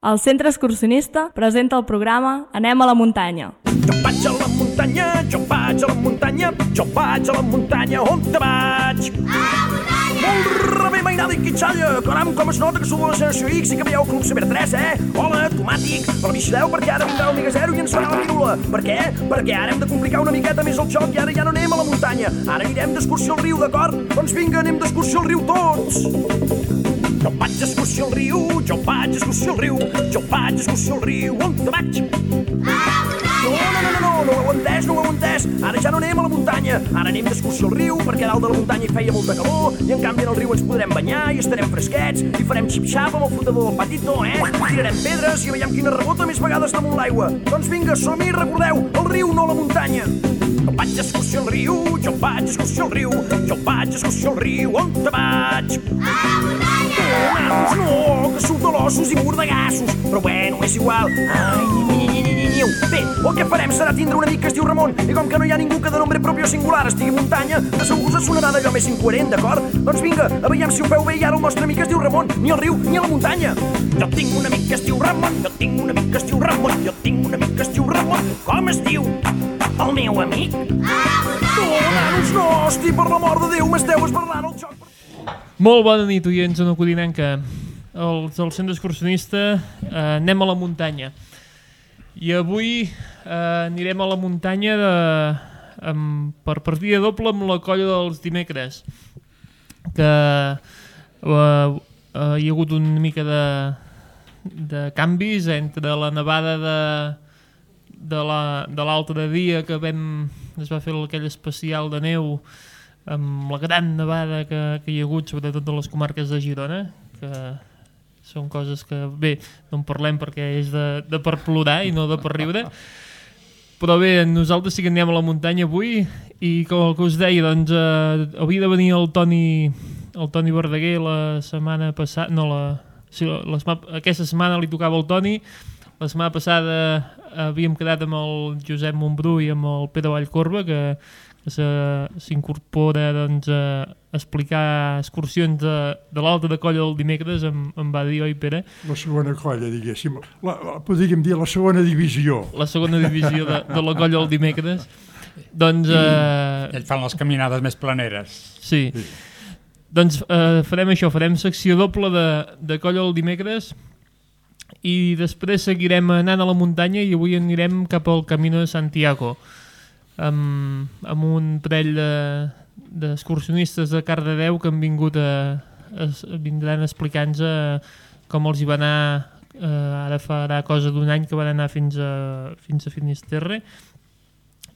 El Centre Excursionista presenta el programa Anem a la muntanya. Jo vaig a la muntanya, jo vaig a la muntanya, jo vaig a la muntanya, on te vaig? A la muntanya! Molt bé, mainada i quitxalla, caram, com es nota que sou de la generació X i que veieu Club Saber 3, Hola, tomàtic, però vigileu perquè ara vindrà el Miga Zero i ens farà la pirula. Per què? Perquè ara hem de complicar una miqueta més el joc i ara ja no anem a la muntanya, ara anirem d'excursió al riu, d'acord? Doncs vinga, anem d'excursió al riu tots! Jo vaig d'excursió al riu, jo vaig d'excursió al riu, jo vaig d'excursió al riu, on te vaig? No ho heu entès, ara ja no anem a la muntanya, ara anem d'excursió al riu perquè dalt de la muntanya hi feia molta calor i en canvi en el riu ens podrem banyar i estarem fresquets i farem xip-xap amb el flotador del patito, Tirarem pedres i veiem quina rebota més vegades damunt l'aigua. Doncs vinga, som-hi, recordeu, el riu, no la muntanya. Jo vaig d'excursió al riu, jo vaig d'excursió al riu, jo vaig d'excursió al riu, on te vaig? A la muntanya! No, que surt de l'ossos i mordegassos, però bueno, és igual. Bé, el que farem serà tindre un amic que es diu Ramon i com que no hi ha ningú que de nombre propi o singular estigui a muntanya, de segur us sonarà d'allò més incoherent, d'acord? Doncs vinga, a veiem si ho feu bé i ara el nostre amic es diu Ramon, ni al riu ni a la muntanya. Jo tinc un amic que es diu Ramon, jo tinc un amic que es diu Ramon, jo tinc un amic que es diu Ramon. Com es diu? El meu amic? A la muntanya! Nanos, no, hosti, per l'amor de Déu, m'esteu esbarrant el joc. Molt bona nit, oients, una codinenca. Els del Centre Excursionista anem a la muntanya. I avui anirem a la muntanya per partida doble amb la colla dels dimecres, que hi ha hagut una mica de canvis entre la nevada de l'altre dia que es va fer aquell especial de neu amb la gran nevada que hi ha hagut sobretot a les comarques de Girona, que són coses que, bé, no en parlem perquè és de per plorar i no de per riure. Però bé, nosaltres sí que anem a la muntanya avui i com el que us deia, doncs havia de venir el Toni Verdaguer la setmana passada, aquesta setmana li tocava el Toni, la setmana passada havíem quedat amb el Josep Montbrú i amb el Pere Vallcorba, que s'incorpora doncs, a explicar excursions de l'altra colla del dimecres, em va dir, oi Pere? La segona colla, diguéssim, podríem dir la segona divisió. La segona divisió de la colla del dimecres. Doncs... Ells fan les caminades més planeres. Sí. Doncs farem això, farem secció doble de colla del dimecres i després seguirem anant a la muntanya i avui anirem cap al Camino de Santiago. Amb un parell d'excursionistes de Cardedeu que han vingut vindran explicant-nos com els hi va anar, ara farà cosa d'un any que van anar fins a Finisterre,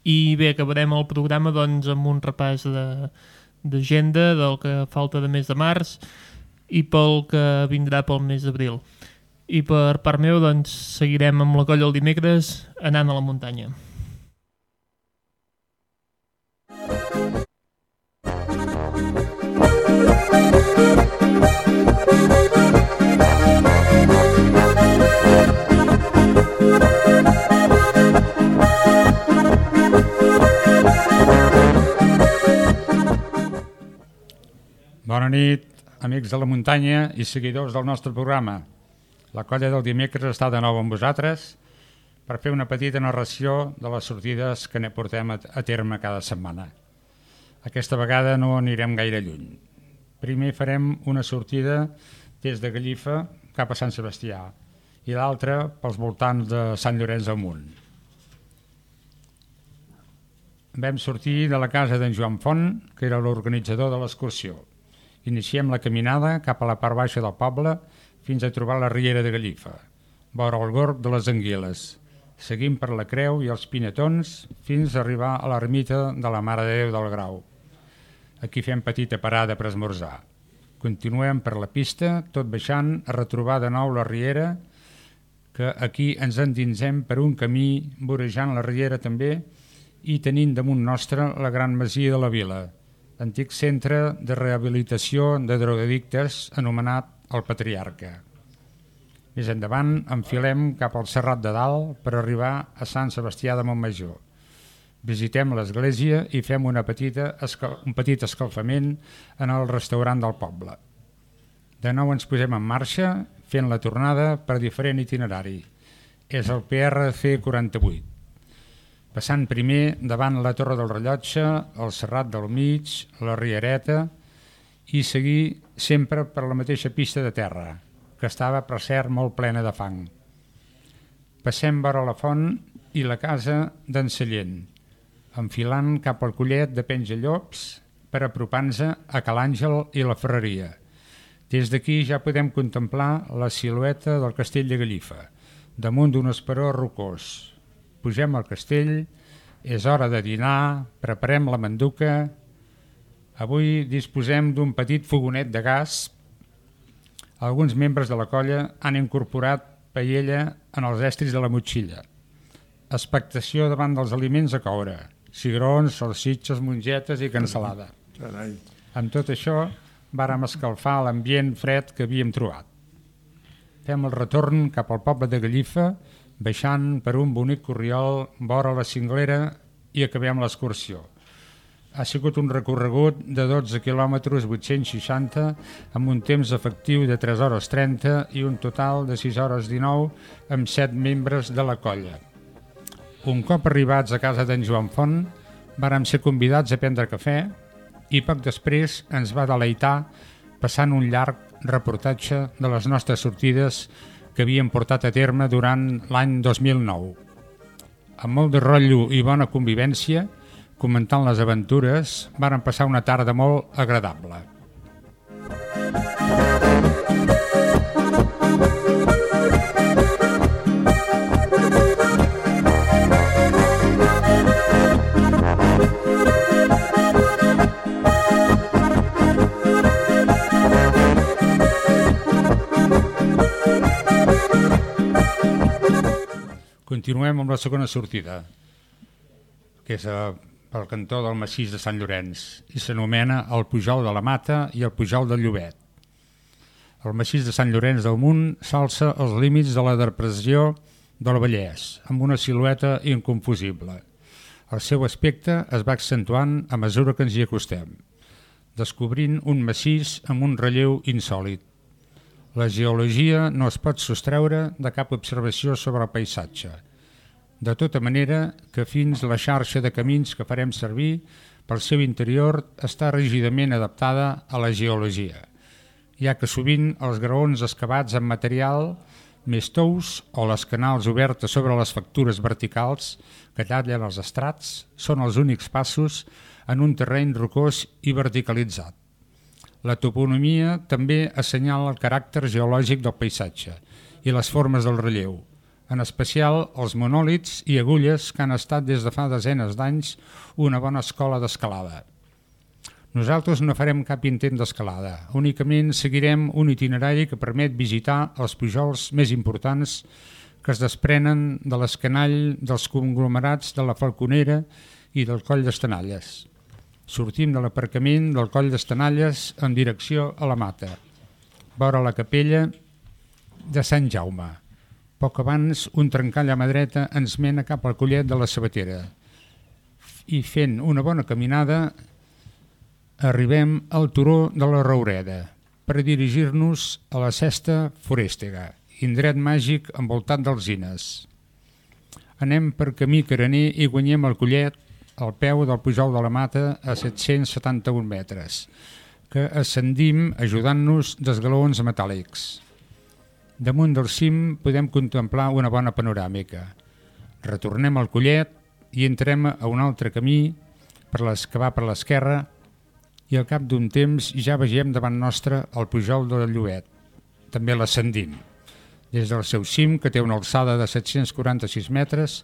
i bé, acabarem el programa doncs, amb un repàs d'agenda del que falta de mes de març i pel que vindrà pel mes d'abril. I per part meu doncs, seguirem amb la colla el dimecres anant a la muntanya. Bona nit, amics de la muntanya i seguidors del nostre programa. La colla del dimecres està de nou amb vosaltres per fer una petita narració de les sortides que ne portem a terme cada setmana. Aquesta vegada no anirem gaire lluny. Primer farem una sortida des de Gallifa cap a Sant Sebastià i l'altra pels voltants de Sant Llorenç del Munt. Vam sortir de la casa d'en Joan Font, que era l'organitzador de l'excursió. Iniciem la caminada cap a la part baixa del poble fins a trobar la riera de Gallifa, vora el gorg de les Anguiles. Seguim per la Creu i els Pinetons fins a arribar a l'ermita de la Mare de Déu del Grau. Aquí fem petita parada per esmorzar. Continuem per la pista, tot baixant a retrobar de nou la riera, que aquí ens endinsem per un camí vorejant la riera també i tenint damunt nostre la gran masia de la vila, antic centre de rehabilitació de drogadictes anomenat el Patriarca. Més endavant enfilem cap al Serrat de Dalt per arribar a Sant Sebastià de Montmajor. Visitem l'església i fem un petit escalfament en el restaurant del poble. De nou ens posem en marxa fent la tornada per diferent itinerari. És el PR C48. Passant primer davant la Torre del Rellotge, el Serrat del Mig, la Riereta, i seguir sempre per la mateixa pista de terra, que estava, per cert, molt plena de fang. Passem vora la font i la casa d'en Sallent, enfilant cap al collet de Penjallops per apropar-nos a Cal Àngel i la Ferreria. Des d'aquí ja podem contemplar la silueta del castell de Gallifa, damunt d'un esperó rocós. Pugem al castell, és hora de dinar, preparem la manduca. Avui disposem d'un petit fogonet de gas. Alguns membres de la colla han incorporat paella en els estris de la motxilla. Expectació davant dels aliments a coure, cigrons, salsitxes, mongetes i cansalada. Carai. Amb tot això, vàrem escalfar l'ambient fred que havíem trobat. Fem el retorn cap al poble de Gallifa, baixant per un bonic corriol vora la cinglera i acabem l'excursió. Ha sigut un recorregut de 12 quilòmetres 860 amb un temps efectiu de 3 hores 30 i un total de 6 hores 19 amb 7 membres de la colla. Un cop arribats a casa d'en Joan Font, vàrem ser convidats a prendre cafè i poc després ens va deleitar passant un llarg reportatge de les nostres sortides que havíem portat a terme durant l'any 2009. Amb molt de rotllo i bona convivència, comentant les aventures, vàrem passar una tarda molt agradable. Continuem amb la segona sortida, que és pel cantó del massís de Sant Llorenç i s'anomena el Pujol de la Mata i el Pujol del Llobet. El massís de Sant Llorenç del Munt s'alça als límits de la depressió del Vallès, amb una silueta inconfusible. El seu aspecte es va accentuant a mesura que ens hi acostem, descobrint un massís amb un relleu insòlit. La geologia no es pot sostreure de cap observació sobre el paisatge, de tota manera que fins la xarxa de camins que farem servir pel seu interior està rígidament adaptada a la geologia, ja que sovint els graons excavats amb material més tous o les canals obertes sobre les factures verticals que tallen els estrats són els únics passos en un terreny rocós i verticalitzat. La toponomia també assenyala el caràcter geològic del paisatge i les formes del relleu, en especial els monòlits i agulles que han estat des de fa desenes d'anys una bona escola d'escalada. Nosaltres no farem cap intent d'escalada, únicament seguirem un itinerari que permet visitar els pujols més importants que es desprenen de l'escanall dels conglomerats de la Falconera i del Coll d'Estanalles. Sortim de l'aparcament del Coll d'Estanalles en direcció a la Mata, vora la capella de Sant Jaume. Poc abans, un trencall a mà dreta ens mena cap al collet de la Sabatera i fent una bona caminada arribem al turó de la Roureda per dirigir-nos a la Cesta Forèstega, indret màgic envoltat d'alzines. Anem per camí carener i guanyem el collet al peu del Pujol de la Mata a 771 metres, que ascendim ajudant-nos d'esglaons metàl·lics. Damunt del cim podem contemplar una bona panoràmica. Retornem al collet i entrem a un altre camí que va per l'esquerra i al cap d'un temps ja vegem davant nostre el Pujol del Llobet. També l'ascendim. Des del seu cim, que té una alçada de 746 metres,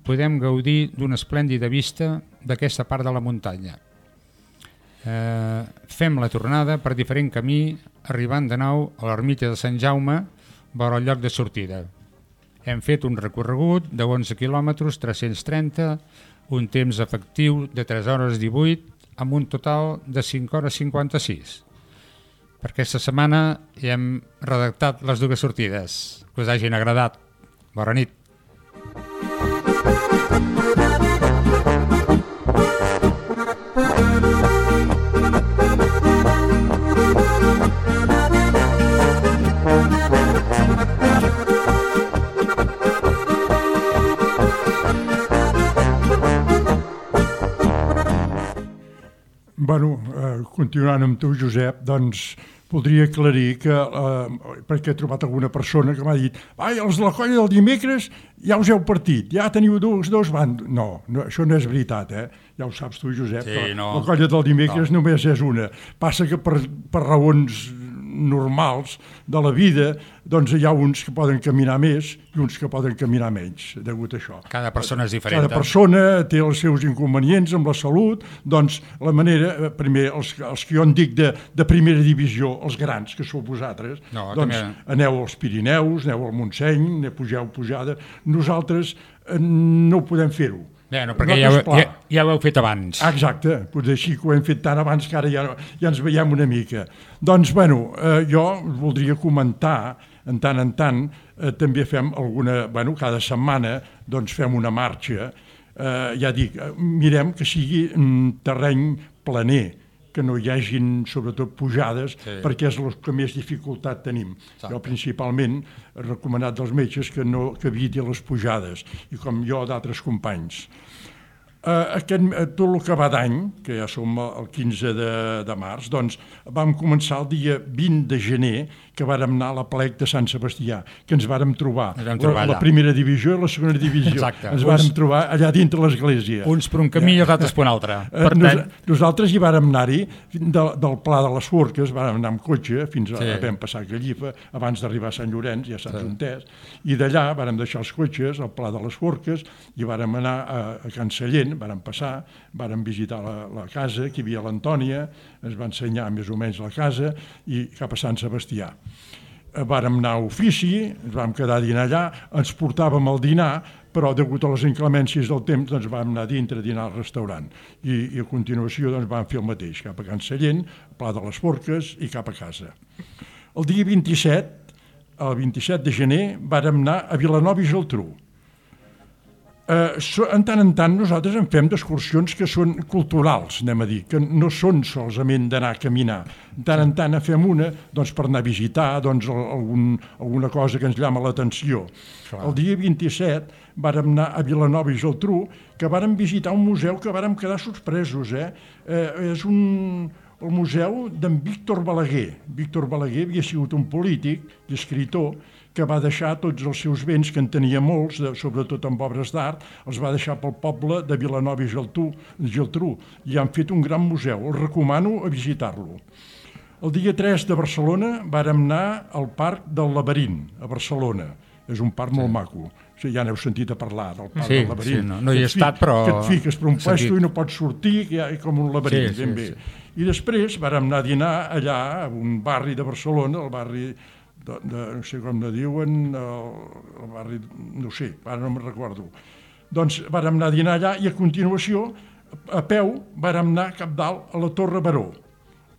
podem gaudir d'una esplèndida vista d'aquesta part de la muntanya. Fem la tornada per diferent camí, arribant de nou a l'ermita de Sant Jaume, vora el lloc de sortida. Hem fet un recorregut de 11 quilòmetres 330, un temps efectiu de 3 hores 18, amb un total de 5 hores 56. Per aquesta setmana ja hem redactat les dues sortides. Que us hagin agradat. Bona nit. Bueno, continuant amb tu, Josep, doncs voldria aclarir que, perquè he trobat alguna persona que m'ha dit els de la colla del dimecres ja us heu partit, ja teniu dos bandos. No, això no és veritat, ja ho saps tu, Josep, sí, no. La colla del dimecres només és una. Passa que per raons normals de la vida, doncs hi ha uns que poden caminar més i uns que poden caminar menys, degut a això. Cada persona és diferent. Cada persona té els seus inconvenients amb la salut, doncs la manera, primer, els que jo en dic de primera divisió, els grans, que sou vosaltres, doncs aneu als Pirineus, aneu al Montseny, pugeu pujada. Nosaltres no ho podem fer-ho. Bueno, perquè ja ho heu fet abans. Exacte, potser així que ho hem fet tant abans que ara ja ens veiem una mica. Doncs, bueno, jo voldria comentar, en tant, també fem alguna, cada setmana doncs fem una marxa, ja dic, mirem que sigui terreny planer, que no hi hagin, sobretot, pujades, perquè és el que més dificultat tenim. Jo, principalment, he recomanat dels metges que eviti les pujades, i com jo d'altres companys. Tot el que va d'any, que ja som el 15 de març, doncs vam començar el dia 20 de gener, que vàrem anar a la plec de Sant Sebastià, que ens vàrem trobar la primera divisió i la segona divisió. Exacte. Ens vàrem trobar allà dintre l'església. Uns per un camí i els altres per un altre. Nosaltres hi vàrem anar-hi, del Pla de les Forques, vàrem anar amb cotxe, fins a vam passar a Gallifa, abans d'arribar a Sant Llorenç, ja saps on és, i d'allà vàrem deixar els cotxes al Pla de les Forques i vàrem anar a Can Sallent, vàrem passar, vàrem visitar la casa, que hi havia l'Antònia, ens va ensenyar més o menys la casa, i cap a Sant Sebastià. Vàrem anar a ofici, ens vam quedar a dinar allà, ens portàvem el dinar, però degut a les inclemències del temps doncs vam anar dintre a dinar al restaurant i a continuació doncs vam fer el mateix, cap a Can Sallent, Pla de les Forques i cap a casa. El dia 27, el 27 de gener, vàrem anar a Vilanova i Geltrú. En tant nosaltres en fem d'excursions que són culturals, anem a dir, que no són solament d'anar a caminar. En tant en fem una per anar a visitar alguna cosa que ens llama l'atenció. El dia 27 vàrem anar a Vilanova i Geltrú, que vàrem visitar un museu que vàrem quedar sorpresos. És el museu d'en Víctor Balaguer. Víctor Balaguer havia sigut un polític i escriptor que va deixar tots els seus béns, que en tenia molts, sobretot amb obres d'art, els va deixar pel poble de Vilanova i Geltrú, i han fet un gran museu. Els recomano a visitar-lo. El dia 3 de Barcelona vàrem anar al Parc del Laberint, a Barcelona. És un parc molt maco. Ja n'heu sentit a parlar del Parc del Laberint. No hi he estat, però... Que et fiques per un puesto i no pots sortir, que hi ha com un laberint, ben bé. I després vàrem anar a dinar allà, a un barri de Barcelona, el barri... no sé com ne diuen, el barri, no sé, ara no me'n recordo. Doncs vàrem anar a dinar allà i a continuació, a peu, vàrem anar cap dalt a la Torre Baró,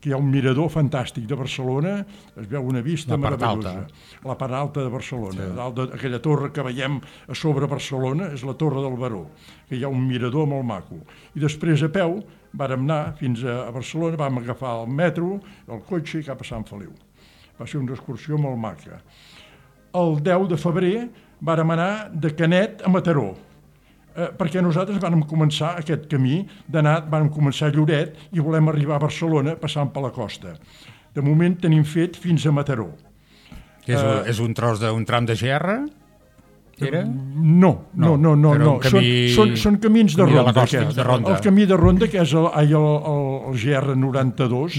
que hi ha un mirador fantàstic de Barcelona, es veu una vista meravellosa. La part alta de Barcelona, dalt d'aquella torre que veiem a sobre Barcelona, és la Torre del Baró, que hi ha un mirador molt maco. I després a peu vàrem anar fins a Barcelona, vam agafar el metro, el cotxe i cap a Sant Feliu. Va ser una excursió molt maca. El 10 de febrer vàrem anar de Canet a Mataró, perquè nosaltres vàrem començar aquest camí vàrem començar a Lloret i volem arribar a Barcelona passant per la costa. De moment tenim fet fins a Mataró. És un tros d'un tram de GR? Era? No. Són camins de ronda. El camí de ronda, que és el GR 92,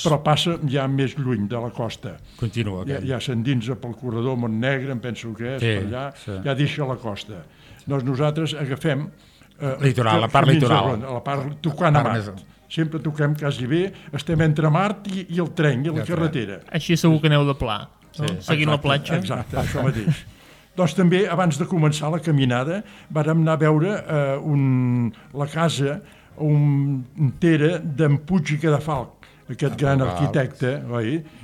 però passa ja més lluny de la costa. Continua. Ja s'endinsa pel corredor Montnegre, em penso que és, per allà, ja deixa la costa. Doncs nosaltres agafem... La part litoral. La part tocant a Mart. Sempre toquem quasi bé, estem entre Mart i el tren, i la carretera. Així segur que aneu de pla, seguint la platja. Exacte, això mateix. Doncs també, abans de començar la caminada, vàrem anar a veure la casa entera d'en Puig i Cadafalch, aquest gran arquitecte,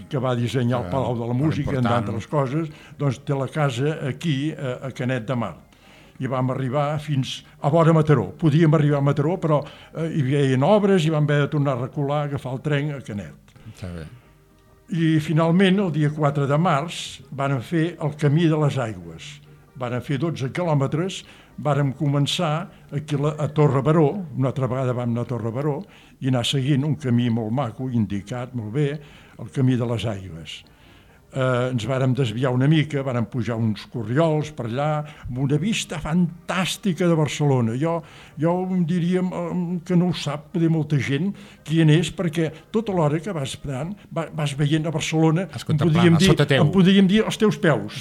que va dissenyar el Palau de la Música, entre altres coses, doncs té la casa aquí, a Canet de Mar. I vam arribar fins a vora Mataró. Podíem arribar a Mataró, però hi havia obres i vam haver de tornar a recular, agafar el tren a Canet. Està bé. I finalment, el dia 4 de març, van fer el Camí de les Aigües. vàrem fer 12 quilòmetres, vàrem començar aquí a Torre Baró, una altra vegada vam anar a Torre Baró, i anar seguint un camí molt maco, indicat molt bé, el camí de les Aigües. Ens vàrem desviar una mica, vàrem pujar uns corriols per allà, amb una vista fantàstica de Barcelona. Jo diria que no ho sap de molta gent qui en és, perquè tota l'hora que vas veient a Barcelona, em podríem dir els teus peus.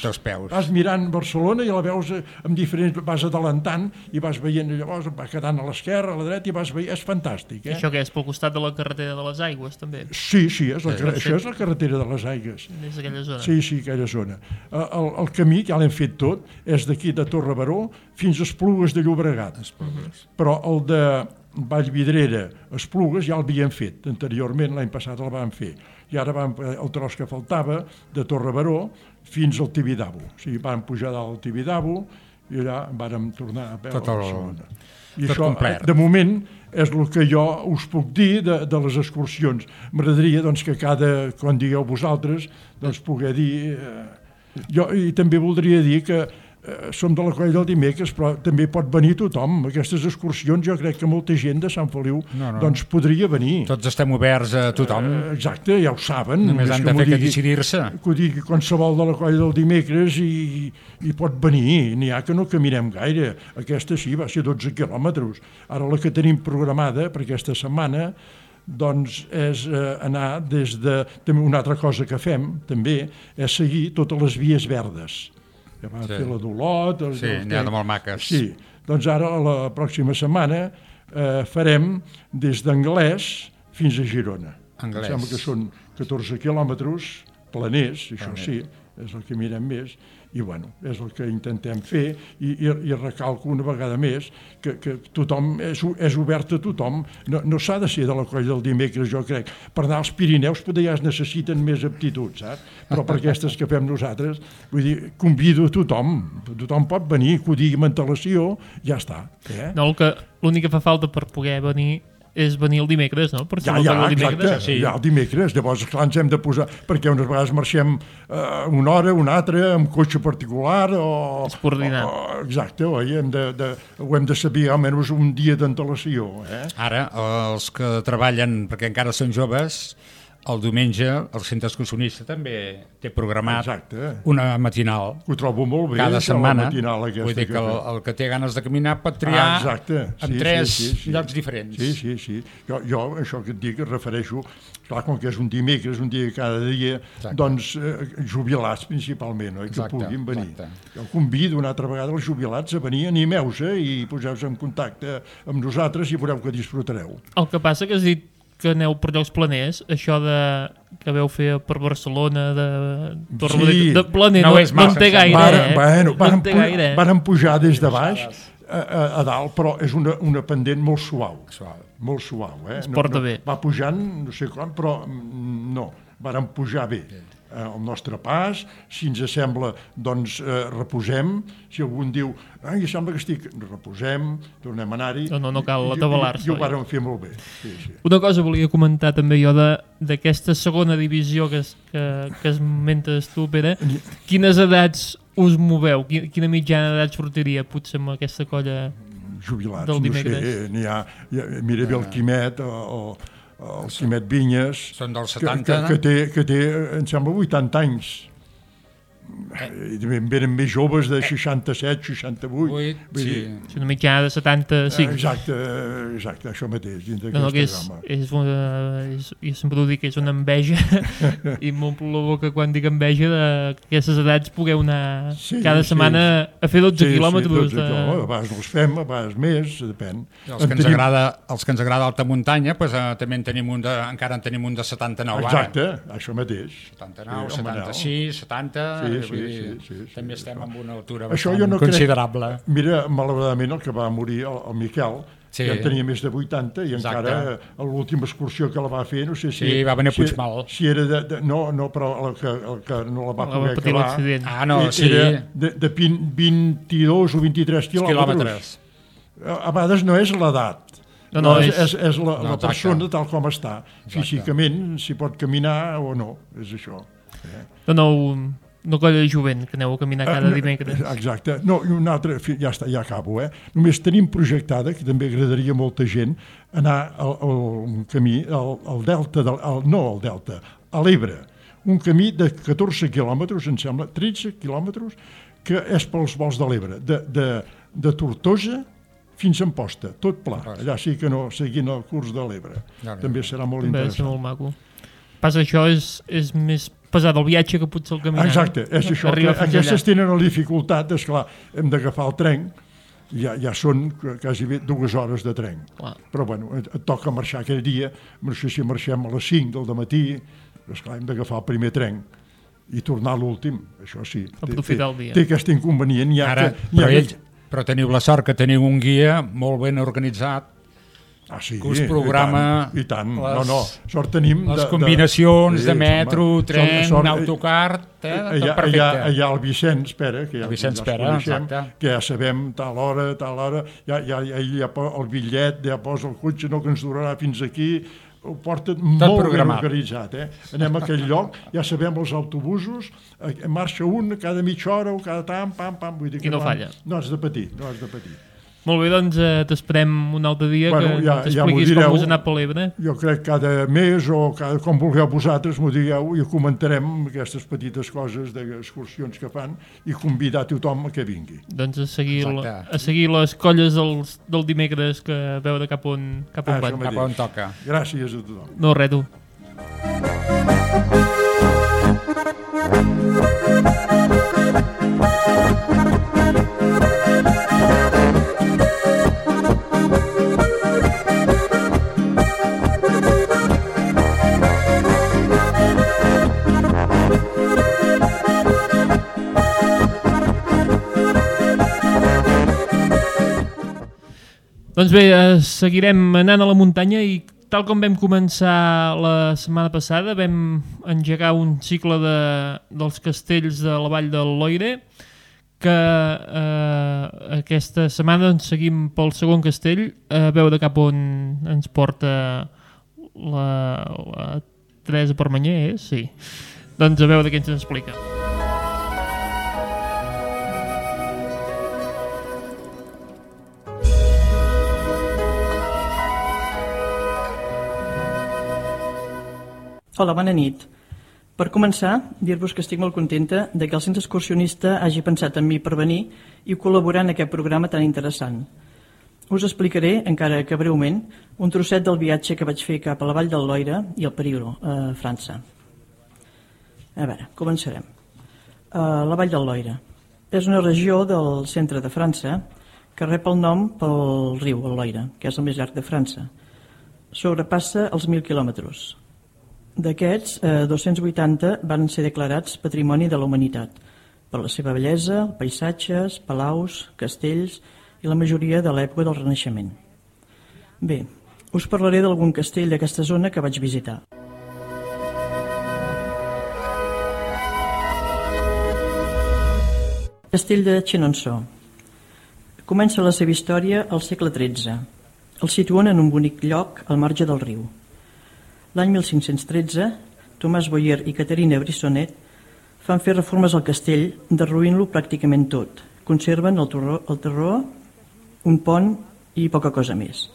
Vas mirant Barcelona i la veus amb diferents, vas adelantant i vas veient, llavors va quedant a l'esquerra, a la dreta i vas veient, és fantàstic. Això què és, pel costat de la carretera de les Aigües, també? Sí, això és la carretera de les Aigües. És aquella zona. Sí, aquella zona. El camí, ja l'hem fet tot, és d'aquí de Torre Baró fins a Esplugues de Llobregat. Però el de Vallvidrera, Esplugues, ja l'havíem fet. Anteriorment, l'any passat el vam fer. I ara el tros que faltava, de Torre Baró fins al Tibidabo. O sigui, vam pujar dalt al Tibidabo i allà vàrem tornar a veure Barcelona. I això, de moment, és el que jo us puc dir de les excursions. M'agradaria que quan digueu vosaltres, poder dir... I també voldria dir que som de la Colla del Dimecres, però també pot venir tothom. Aquestes excursions jo crec que molta gent de Sant Feliu podria venir. Tots estem oberts a tothom. Exacte, ja ho saben. Només han de fer que decidir-se. Que ho digui qualsevol de la Colla del Dimecres i pot venir. N'hi ha que no caminem gaire. Aquesta sí, va ser 12 quilòmetres. Ara la que tenim programada per aquesta setmana és anar des de... Una altra cosa que fem, també, és seguir totes les vies verdes. Ja vam fer la d'Olot... Sí, n'hi ha de molt maques. Sí, doncs ara, la pròxima setmana, farem des d'Anglès fins a Girona. Em sembla que són 14 quilòmetres planers, això sí, és el que mirem més, i bueno, és el que intentem fer, i recalco una vegada més que tothom és obert a tothom, no s'ha de ser de la Colla del Dimecres, jo crec. Per anar als Pirineus potser ja es necessiten més aptituds, saps? Però per aquestes que fem nosaltres, vull dir, convido a tothom pot venir, que ho digui amb antelació, ja està. No, l'únic que fa falta per poder venir és venir el dimecres, no? Ja, exacte, ja el dimecres. Llavors, clar, ens hem de posar... Perquè unes vegades marxem una hora, una altra, amb cotxe particular o... És coordinar. Exacte, oi? Ho hem de saber almenys un dia d'antelació. Ara, els que treballen, perquè encara són joves, el diumenge el centre excursionista també té programat una matinal. Ho trobo molt bé. Cada setmana. Vull dir que el que té ganes de caminar pot triar en 3 llocs diferents. Sí. Jo, això que et dic, refereixo, clar, com que és un dimecres, un dia cada dia, doncs jubilats principalment, que puguin venir. Jo convido una altra vegada els jubilats a venir, animeu-se i poseu-se en contacte amb nosaltres i veureu que disfrutareu. El que passa que has dit que aneu per llocs planers, això que veu fer per Barcelona, de planer, no en té gaire. Vàrem pujar des de baix a dalt, però és una pendent molt suau. Molt suau. Es porta bé. Va pujant, no sé com, però no, vàrem pujar bé. El nostre pas, si ens sembla, doncs reposem. Si algú diu, em sembla que estic... Reposem, tornem a anar-hi. No cal atabalar-se. I ho vàrem fer molt bé. Una cosa volia comentar també jo d'aquesta segona divisió que esmentes tu, Pere. Quines edats us moveu? Quina mitjana d'edat sortiria potser amb aquesta colla jubilats, del dimecres? No sé, n'hi ha... Mira bé el Quimet o... El Quimet Vinyes, són dels 70, que té, em sembla, 80 anys. Venen més joves de 67, 68. Sí. És una mitjana de 75. Exacte, això mateix. Jo sempre ho dic, que és una enveja i m'omplo la boca quan dic enveja d'aquestes edats pogueu anar cada setmana a fer 12 quilòmetres. A vegades els fem, a vegades més, depèn. Els que ens agrada alta muntanya, també encara en tenim un de 79 ara. Exacte, això mateix. 79, 76, 70... També estem en una altura bastant considerable. Mira, malauradament el que va morir, el Miquel, ja tenia més de 80 i encara a l'última excursió que la va fer, no sé si... Sí, va venir a Puigmal. Si era no, però el que no la va poder acabar... Era de 22 o 23 quilòmetres. A vegades no és l'edat. És la persona tal com està. Físicament, si pot caminar o no, és això. una colla de jovent que aneu a caminar cada dimecres. Exacte. No, i un altre, ja està, ja acabo, Només tenim projectada, que també agradaria a molta gent, anar al camí, al delta, a l'Ebre, un camí de 14 quilòmetres, em sembla, 13 quilòmetres, que és pels vols de l'Ebre, de Tortosa fins a Amposta, tot pla. Allà sí que no, seguint el curs de l'Ebre. També serà molt interessant. També molt maco. Passa, això és més pesat el viatge que potser el caminar. Exacte, és això. Aquestes tenen la dificultat, esclar, hem d'agafar el tren, ja són quasi bé 2 hores de tren. Però bueno, et toca marxar aquell dia, no sé si marxem a les 5 del matí, esclar, hem d'agafar el primer tren i tornar a l'últim, això sí. Aprofitar el dia. Té aquest inconvenient. Però teniu la sort que teniu un guia molt ben organitzat, sí, que us programa i tant. Sort tenim les combinacions de metro, tren, autocar, tot perfecte. Allà el Vicenç Pere, que ja ens coneixem, que ja sabem tal hora, ja el bitllet, ja posa el cotxe, no, que ens durarà fins aquí, ho porta molt ben organitzat. Anem a aquell lloc, ja sabem els autobusos, marxa un cada mitja hora o cada tant, pam, vull dir que no falla. No has de patir. Molt bé, doncs t'esperem un altre dia que t'expliquis com us ha anat per l'Ebre. Jo crec que cada mes o com vulgueu vosaltres m'ho digueu i comentarem aquestes petites coses d'excursions que fan i convidar tothom que vingui. Doncs a seguir les colles del dimecres que veure cap on van. Cap on toca. Gràcies a tothom. No, res, tu. Doncs bé, seguirem anant a la muntanya i tal com vam començar la setmana passada, vam engegar un cicle dels castells de la Vall del Loire, que aquesta setmana ens seguim pel segon castell, a veure cap on ens porta la Teresa Permanyer, sí. Doncs a veure què ens explica. Hola, bona nit. Per començar, dir-vos que estic molt contenta de que el Centre Excursionista hagi pensat en mi per venir i col·laborar en aquest programa tan interessant. Us explicaré, encara que breument, un trosset del viatge que vaig fer cap a la Vall del Loire i al Periglo, a França. A veure, començarem. La Vall del Loire és una regió del centre de França que rep el nom pel riu, el Loire, que és el més llarg de França. Sobrepassa els 1.000 quilòmetres. D'aquests, 280 van ser declarats Patrimoni de la Humanitat per la seva bellesa, paisatges, palaus, castells i la majoria de l'època del Renaixement. Bé, us parlaré d'algun castell d'aquesta zona que vaig visitar. Castell de Chenonceau. Comença la seva història al segle XIII. El situen en un bonic lloc al marge del riu. L'any 1513, Tomàs Boyer i Caterina Brissonnet fan fer reformes al castell, derruint-lo pràcticament tot. Conserven el terró, un pont i poca cosa més.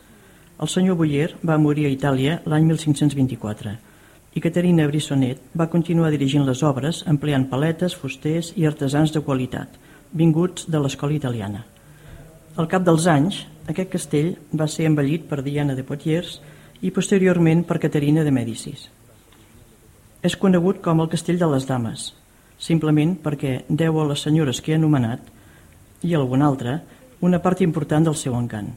El senyor Boyer va morir a Itàlia l'any 1524 i Caterina Brissonnet va continuar dirigint les obres empleant paletes, fusters i artesans de qualitat, vinguts de l'escola italiana. Al cap dels anys, aquest castell va ser embellit per Diana de Poitiers i posteriorment per Caterina de Mèdicis. És conegut com el Castell de les Dames, simplement perquè deu a les senyores que he anomenat i a algun altre una part important del seu encant,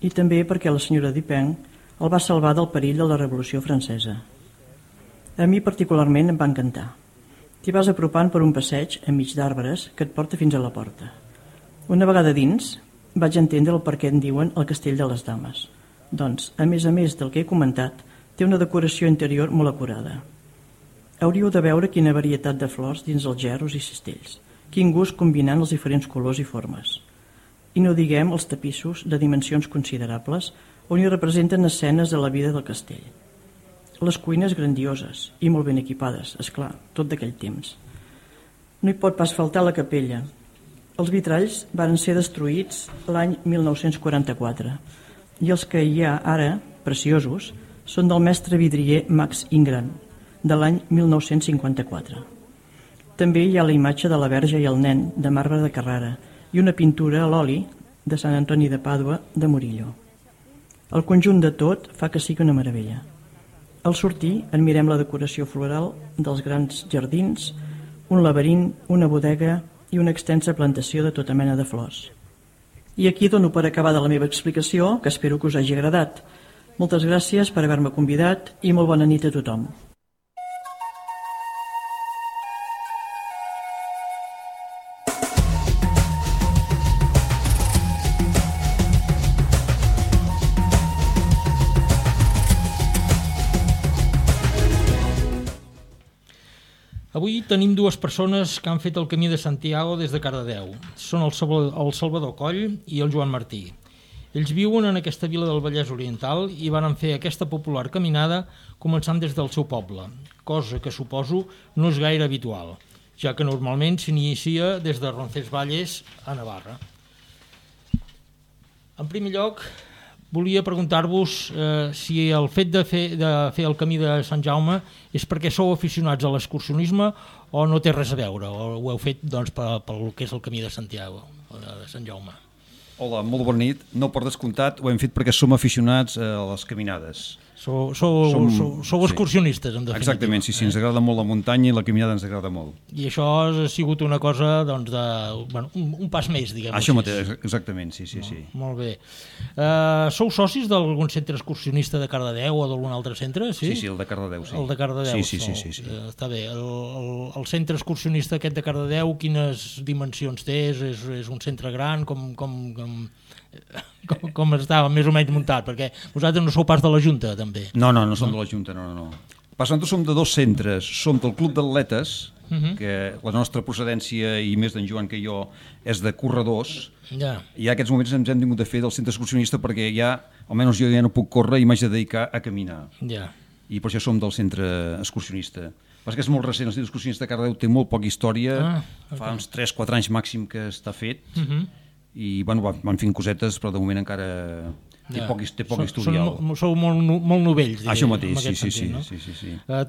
i també perquè la senyora Dupin el va salvar del perill de la Revolució Francesa. A mi particularment em va encantar. T'hi vas apropant per un passeig enmig d'arbres que et porta fins a la porta. Una vegada dins, vaig entendre el per què en diuen el Castell de les Dames. Doncs, a més del que he comentat, té una decoració interior molt acurada. Hauríeu de veure quina varietat de flors dins els gerros i cistells, quin gust combinant els diferents colors i formes. I no diguem els tapissos de dimensions considerables on hi representen escenes de la vida del castell. Les cuines grandioses i molt ben equipades, és clar, tot d'aquell temps. No hi pot pas faltar la capella. Els vitralls varen ser destruïts l'any 1944 i els que hi ha ara, preciosos, són del mestre vidrier Max Ingram, de l'any 1954. També hi ha la imatge de la Verge i el nen, de marbre de Carrara, i una pintura a l'oli de Sant Antoni de Pàdua, de Murillo. El conjunt de tot fa que sigui una meravella. Al sortir, admirem la decoració floral dels grans jardins, un laberint, una bodega i una extensa plantació de tota mena de flors. I aquí dono per acabada la meva explicació, que espero que us hagi agradat. Moltes gràcies per haver-me convidat i molt bona nit a tothom. Avui tenim dues persones que han fet el camí de Santiago des de Cardedeu. Són el Salvador Coll i el Joan Martí. Ells viuen en aquesta vila del Vallès Oriental i van fer aquesta popular caminada començant des del seu poble, cosa que suposo no és gaire habitual, ja que normalment s'inicia des de Roncesvalles a Navarra. En primer lloc, volia preguntar-vos si el fet de fer el camí de Sant Jaume és perquè sou aficionats a l'excursionisme o no té res a veure, o ho heu fet doncs, pel que és el camí de Santiago, de Sant Jaume. Hola, molt bona nit. No, per descomptat, ho hem fet perquè som aficionats a les caminades. Sou excursionistes, en definitiva. Exactament, sí, ens agrada molt la muntanya i la caminada ens agrada molt. I això ha sigut una cosa, doncs, un pas més, diguem-ho. Això mateix, exactament, sí. Molt bé. Sou socis d'algun centre excursionista de Cardedeu o d'algun altre centre? Sí, el de Cardedeu, sí. El de Cardedeu, sí. Està bé. El centre excursionista aquest de Cardedeu, quines dimensions té? És un centre gran? Com estava més o menys muntat? Perquè vosaltres no sou pas de la Junta, també. No som de la Junta, no. Nosaltres som de dos centres. Som del Club d'Atletes, que la nostra procedència, i més d'en Joan que jo, és de corredors. Ja. I en aquests moments ens hem tingut de fer del centre excursionista perquè ja, almenys jo ja no puc córrer i m'haig de dedicar a caminar. Ja. I per això som del centre excursionista. Perquè és molt recent, el centre excursionista de Cardedeu té molt poca història, fa uns 3-4 anys màxim que està fet, i van fent cosetes, però de moment encara té poc historial. Sou molt novells, diria. Això mateix, sí.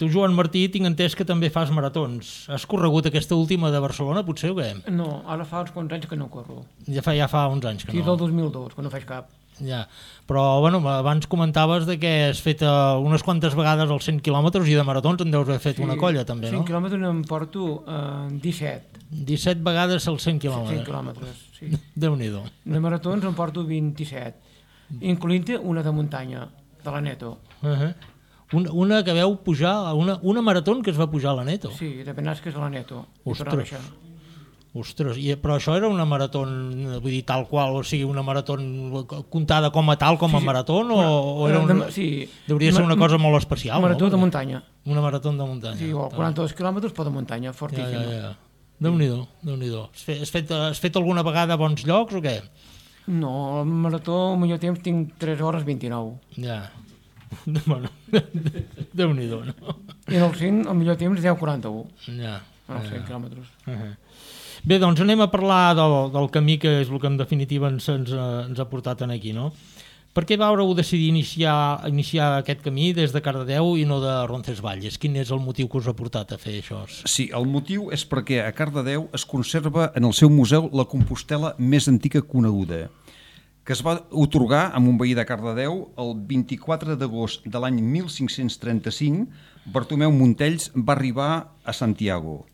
Tu, Joan Martí, tinc entès que també fas maratons. Has corregut aquesta última de Barcelona, potser, o què? No, ara fa uns quants anys que no corro. Ja fa uns anys que no. Sí, del 2002, que no faig cap. Ja, però bueno, abans comentaves de que has fet unes quantes vegades els 100 quilòmetres i de maratons en deus haver fet una colla, també, no? 100 quilòmetres em porto 17. 17 vegades els 100 quilòmetres. 100 quilòmetres, sí. Déu-n'hi-do. De maratons em porto 27, incloent-hi una de muntanya, de la Neto. Una que veu pujar, una marató que es va pujar a la Neto. Sí, de Benasques a la Neto. Ostres, però això era una marató, vull dir, tal qual, o sigui, una marató comptada com a tal, com a marató, o era hauria ser una cosa molt especial, no? Marató de muntanya. Una marató de muntanya. Sí, o 42 quilòmetres, però de muntanya, fortíssima. Ja. Déu-n'hi-do. Has fet alguna vegada a bons llocs o què? No, el marató, al millor temps, tinc 3 hores 29. Ja. Bueno, Déu-n'hi-do, no? I en el 100, al millor temps, 10:41. Ja. En els 100 quilòmetres. Bé, doncs anem a parlar del camí, que és el que en definitiva ens ha portat aquí, no? Per què vàreu decidir iniciar aquest camí des de Cardedeu i no de Roncesvalles? Quin és el motiu que us ha portat a fer això? Sí, el motiu és perquè a Cardedeu es conserva en el seu museu la Compostela més antiga coneguda, que es va atorgar a un veí de Cardedeu el 24 d'agost de l'any 1535. Bartomeu Montells va arribar a Santiago.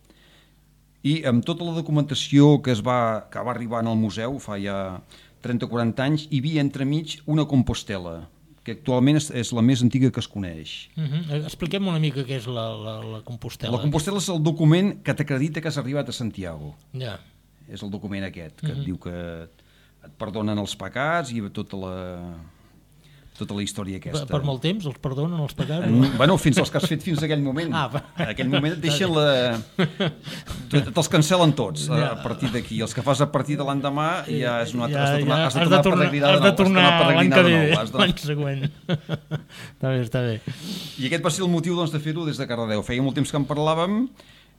I amb tota la documentació que va arribar en el museu fa ja 30-40 anys, hi havia entremig una Compostela, que actualment és la més antiga que es coneix. Expliquem una mica què és la Compostela. La Compostela és el document que t'acredita que has arribat a Santiago. Ja. És el document aquest, que et diu que et perdonen els pecats i tota la història aquesta. Per molt temps els perdonen els pecats? Bueno, fins als que has fet fins a aquell moment. En aquell moment et deixen te'ls cancel·len tots a partir d'aquí. Els que fas a partir de l'endemà ja és una altra... Has de tornar a peregrinar de nou. L'any següent. Està bé. I aquest va ser el motiu de fer-ho des de Cardedeu. Feia molt temps que en parlàvem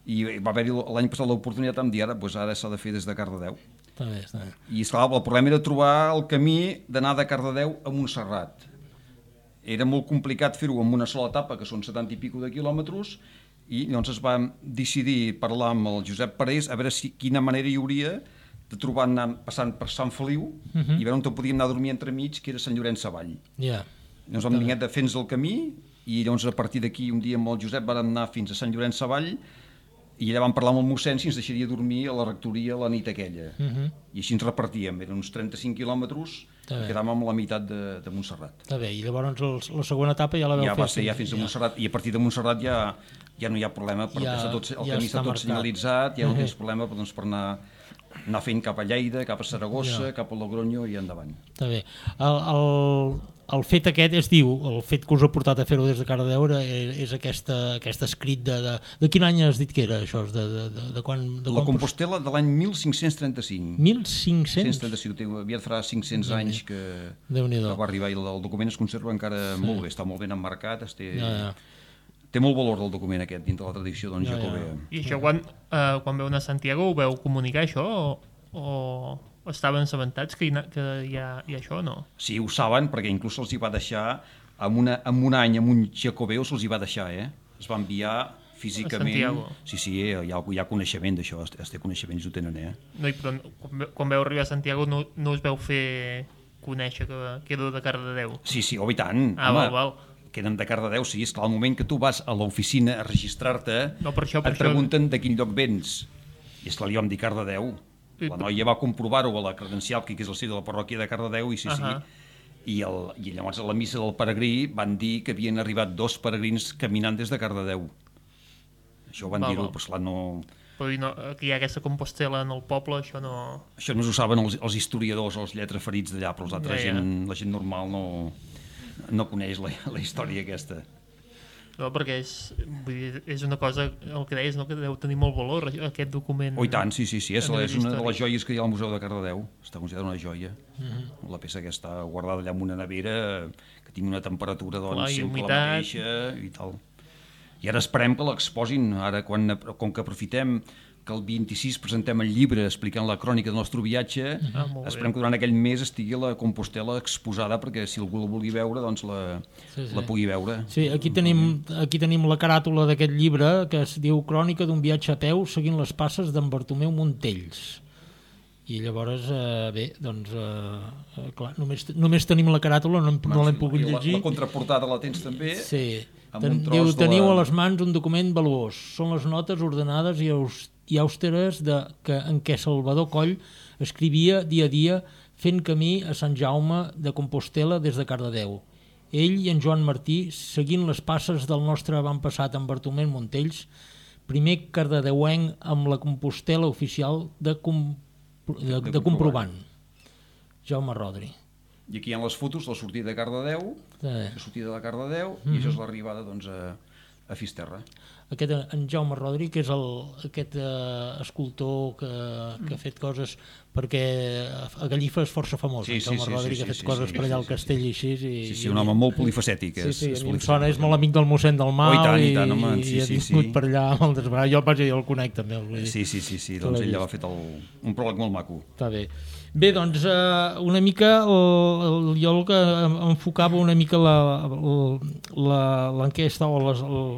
I va haver-hi l'any passat l'oportunitat de dir ara s'ha de fer des de Cardedeu. Està bé. I esclar, el problema era trobar el camí d'anar de Cardedeu a Montserrat. Era molt complicat fer-ho en una sola etapa, que són 70 i pico de quilòmetres, i llavors es va decidir parlar amb el Josep Parés a veure quina manera hi hauria de trobar passant per Sant Feliu i veure on podíem anar a dormir entremig, que era Sant Llorenç Savall. Llavors vam venir de fer-nos el camí i llavors a partir d'aquí un dia amb el Josep vam anar fins a Sant Llorenç Savall i allà vam parlar amb el mossèn si ens deixaria dormir a la rectoria la nit aquella. I així ens repartíem, eren uns 35 quilòmetres, quedàvem amb la meitat de Montserrat. Està bé, i llavors la segona etapa ja la veu fer. Ja va ser fins a Montserrat, i a partir de Montserrat ja no hi ha problema, perquè el camí està tot senyalitzat, ja no tens problema per anar fent cap a Lleida, cap a Saragossa, cap a Logroño i endavant. Està bé. El fet aquest es diu, el fet que us ha portat a fer-ho des de Cardedeu és aquest escrit de quin any has dit que era això? De quan la Compostela de l'any 1535. 1535? Aviat farà 500 anys que va arribar i el document es conserva encara molt bé, està molt ben emmarcat, té molt valor el document aquest dintre la tradició jacobea. I això quan veu anar a Santiago ho veu comunicar això o estaven assabentats que hi ha això o no? Sí, ho saben, perquè inclús se'ls hi va deixar en un any amb un jacobeu se'ls hi va deixar, es va enviar físicament. Sí, hi ha coneixement d'això, els té coneixements, ho tenen, No, però quan veu arribar a Santiago no us veu fer conèixer que era de Cardedeu? Sí, i tant. Val. Que eren de Cardedeu, sí, esclar, al moment que tu vas a l'oficina a registrar-te, et pregunten de quin lloc vens. I esclar, li vam dir Cardedeu. La noia va comprovar-ho a la credencial, que és el sitio de la parròquia de Cardedeu, i sí. I llavors a la missa del peregrí van dir que havien arribat 2 peregrins caminant des de Cardedeu. Això ho van dir-ho, però esclar, no... Però que hi ha aquesta Compostela en el poble, això no... Això només ho saben els historiadors o els lletraferits d'allà, però la gent normal no coneix la història aquesta. No, perquè és una cosa, el que deies, que deu tenir molt valor, aquest document. I tant, sí, és una de les joies que hi ha al Museu de Cardedeu, està considerada una joia. La peça que està guardada allà en una nevera, que tingui una temperatura sempre la mateixa i tal. I ara esperem que l'exposin, ara com que aprofitem que el 26 presentem el llibre explicant la crònica del nostre viatge, esperem que durant aquell mes estigui la Compostela exposada perquè si algú la vulgui veure, doncs la pugui veure. Sí, aquí tenim la caràtula d'aquest llibre que es diu Crònica d'un viatge a peu seguint les passes d'en Bartomeu Montells. I llavors, clar, només tenim la caràtula, no l'hem pogut llegir. La contraportada la tens també? Sí. Diu, teniu a les mans un document valuós. Són les notes ordenades i àusteres en què Salvador Coll escrivia dia a dia fent camí a Sant Jaume de Compostela des de Cardedeu. Ell i en Joan Martí, seguint les passes del nostre avantpassat en Bartomeu Montells, primer cardedeuenc amb la Compostela oficial de comprovant. Jaume Rodri. I aquí hi ha les fotos de la sortida de Cardedeu, i això és l'arribada a Fisterra. Aquest en Jaume Rodri, que és aquest escultor que ha fet coses, perquè a Gallifa és força famós, Jaume Rodri, que ha fet coses per allà al castell i així. Sí, un home molt polifacètic. Sí, a mi em sona, és molt amic del mossèn del Mal i ha vingut per allà moltes vegades. Jo el conec també. Sí, doncs ell va fer un pròleg molt maco. Està bé. Bé, doncs una mica jo el que enfocava una mica l'enquesta o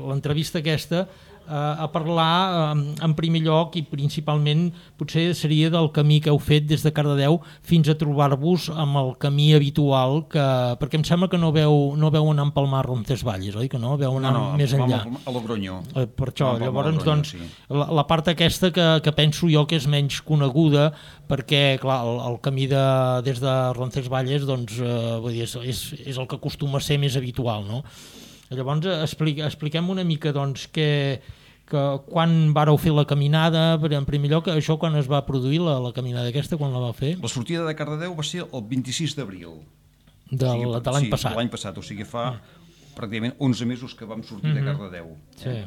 l'entrevista aquesta a parlar en primer lloc i principalment potser seria del camí que heu fet des de Cardedeu fins a trobar-vos amb el camí habitual, perquè em sembla que no veu anar a empalmar Roncesvalles, oi que no? Veu anar més enllà. No, a Logroño. Per això, llavors doncs la part aquesta que penso jo que és menys coneguda, perquè clar, el camí des de Roncesvalles doncs, és el que acostuma a ser més habitual, no? Llavors expliquem una mica doncs, que quan vareu fer la caminada, en primer lloc, això quan es va produir la caminada aquesta, quan la va fer? La sortida de Cardedeu va ser el 26 d'abril. De l'any passat. Sí, de l'any passat, o sigui fa pràcticament 11 mesos que vam sortir de Cardedeu. Sí.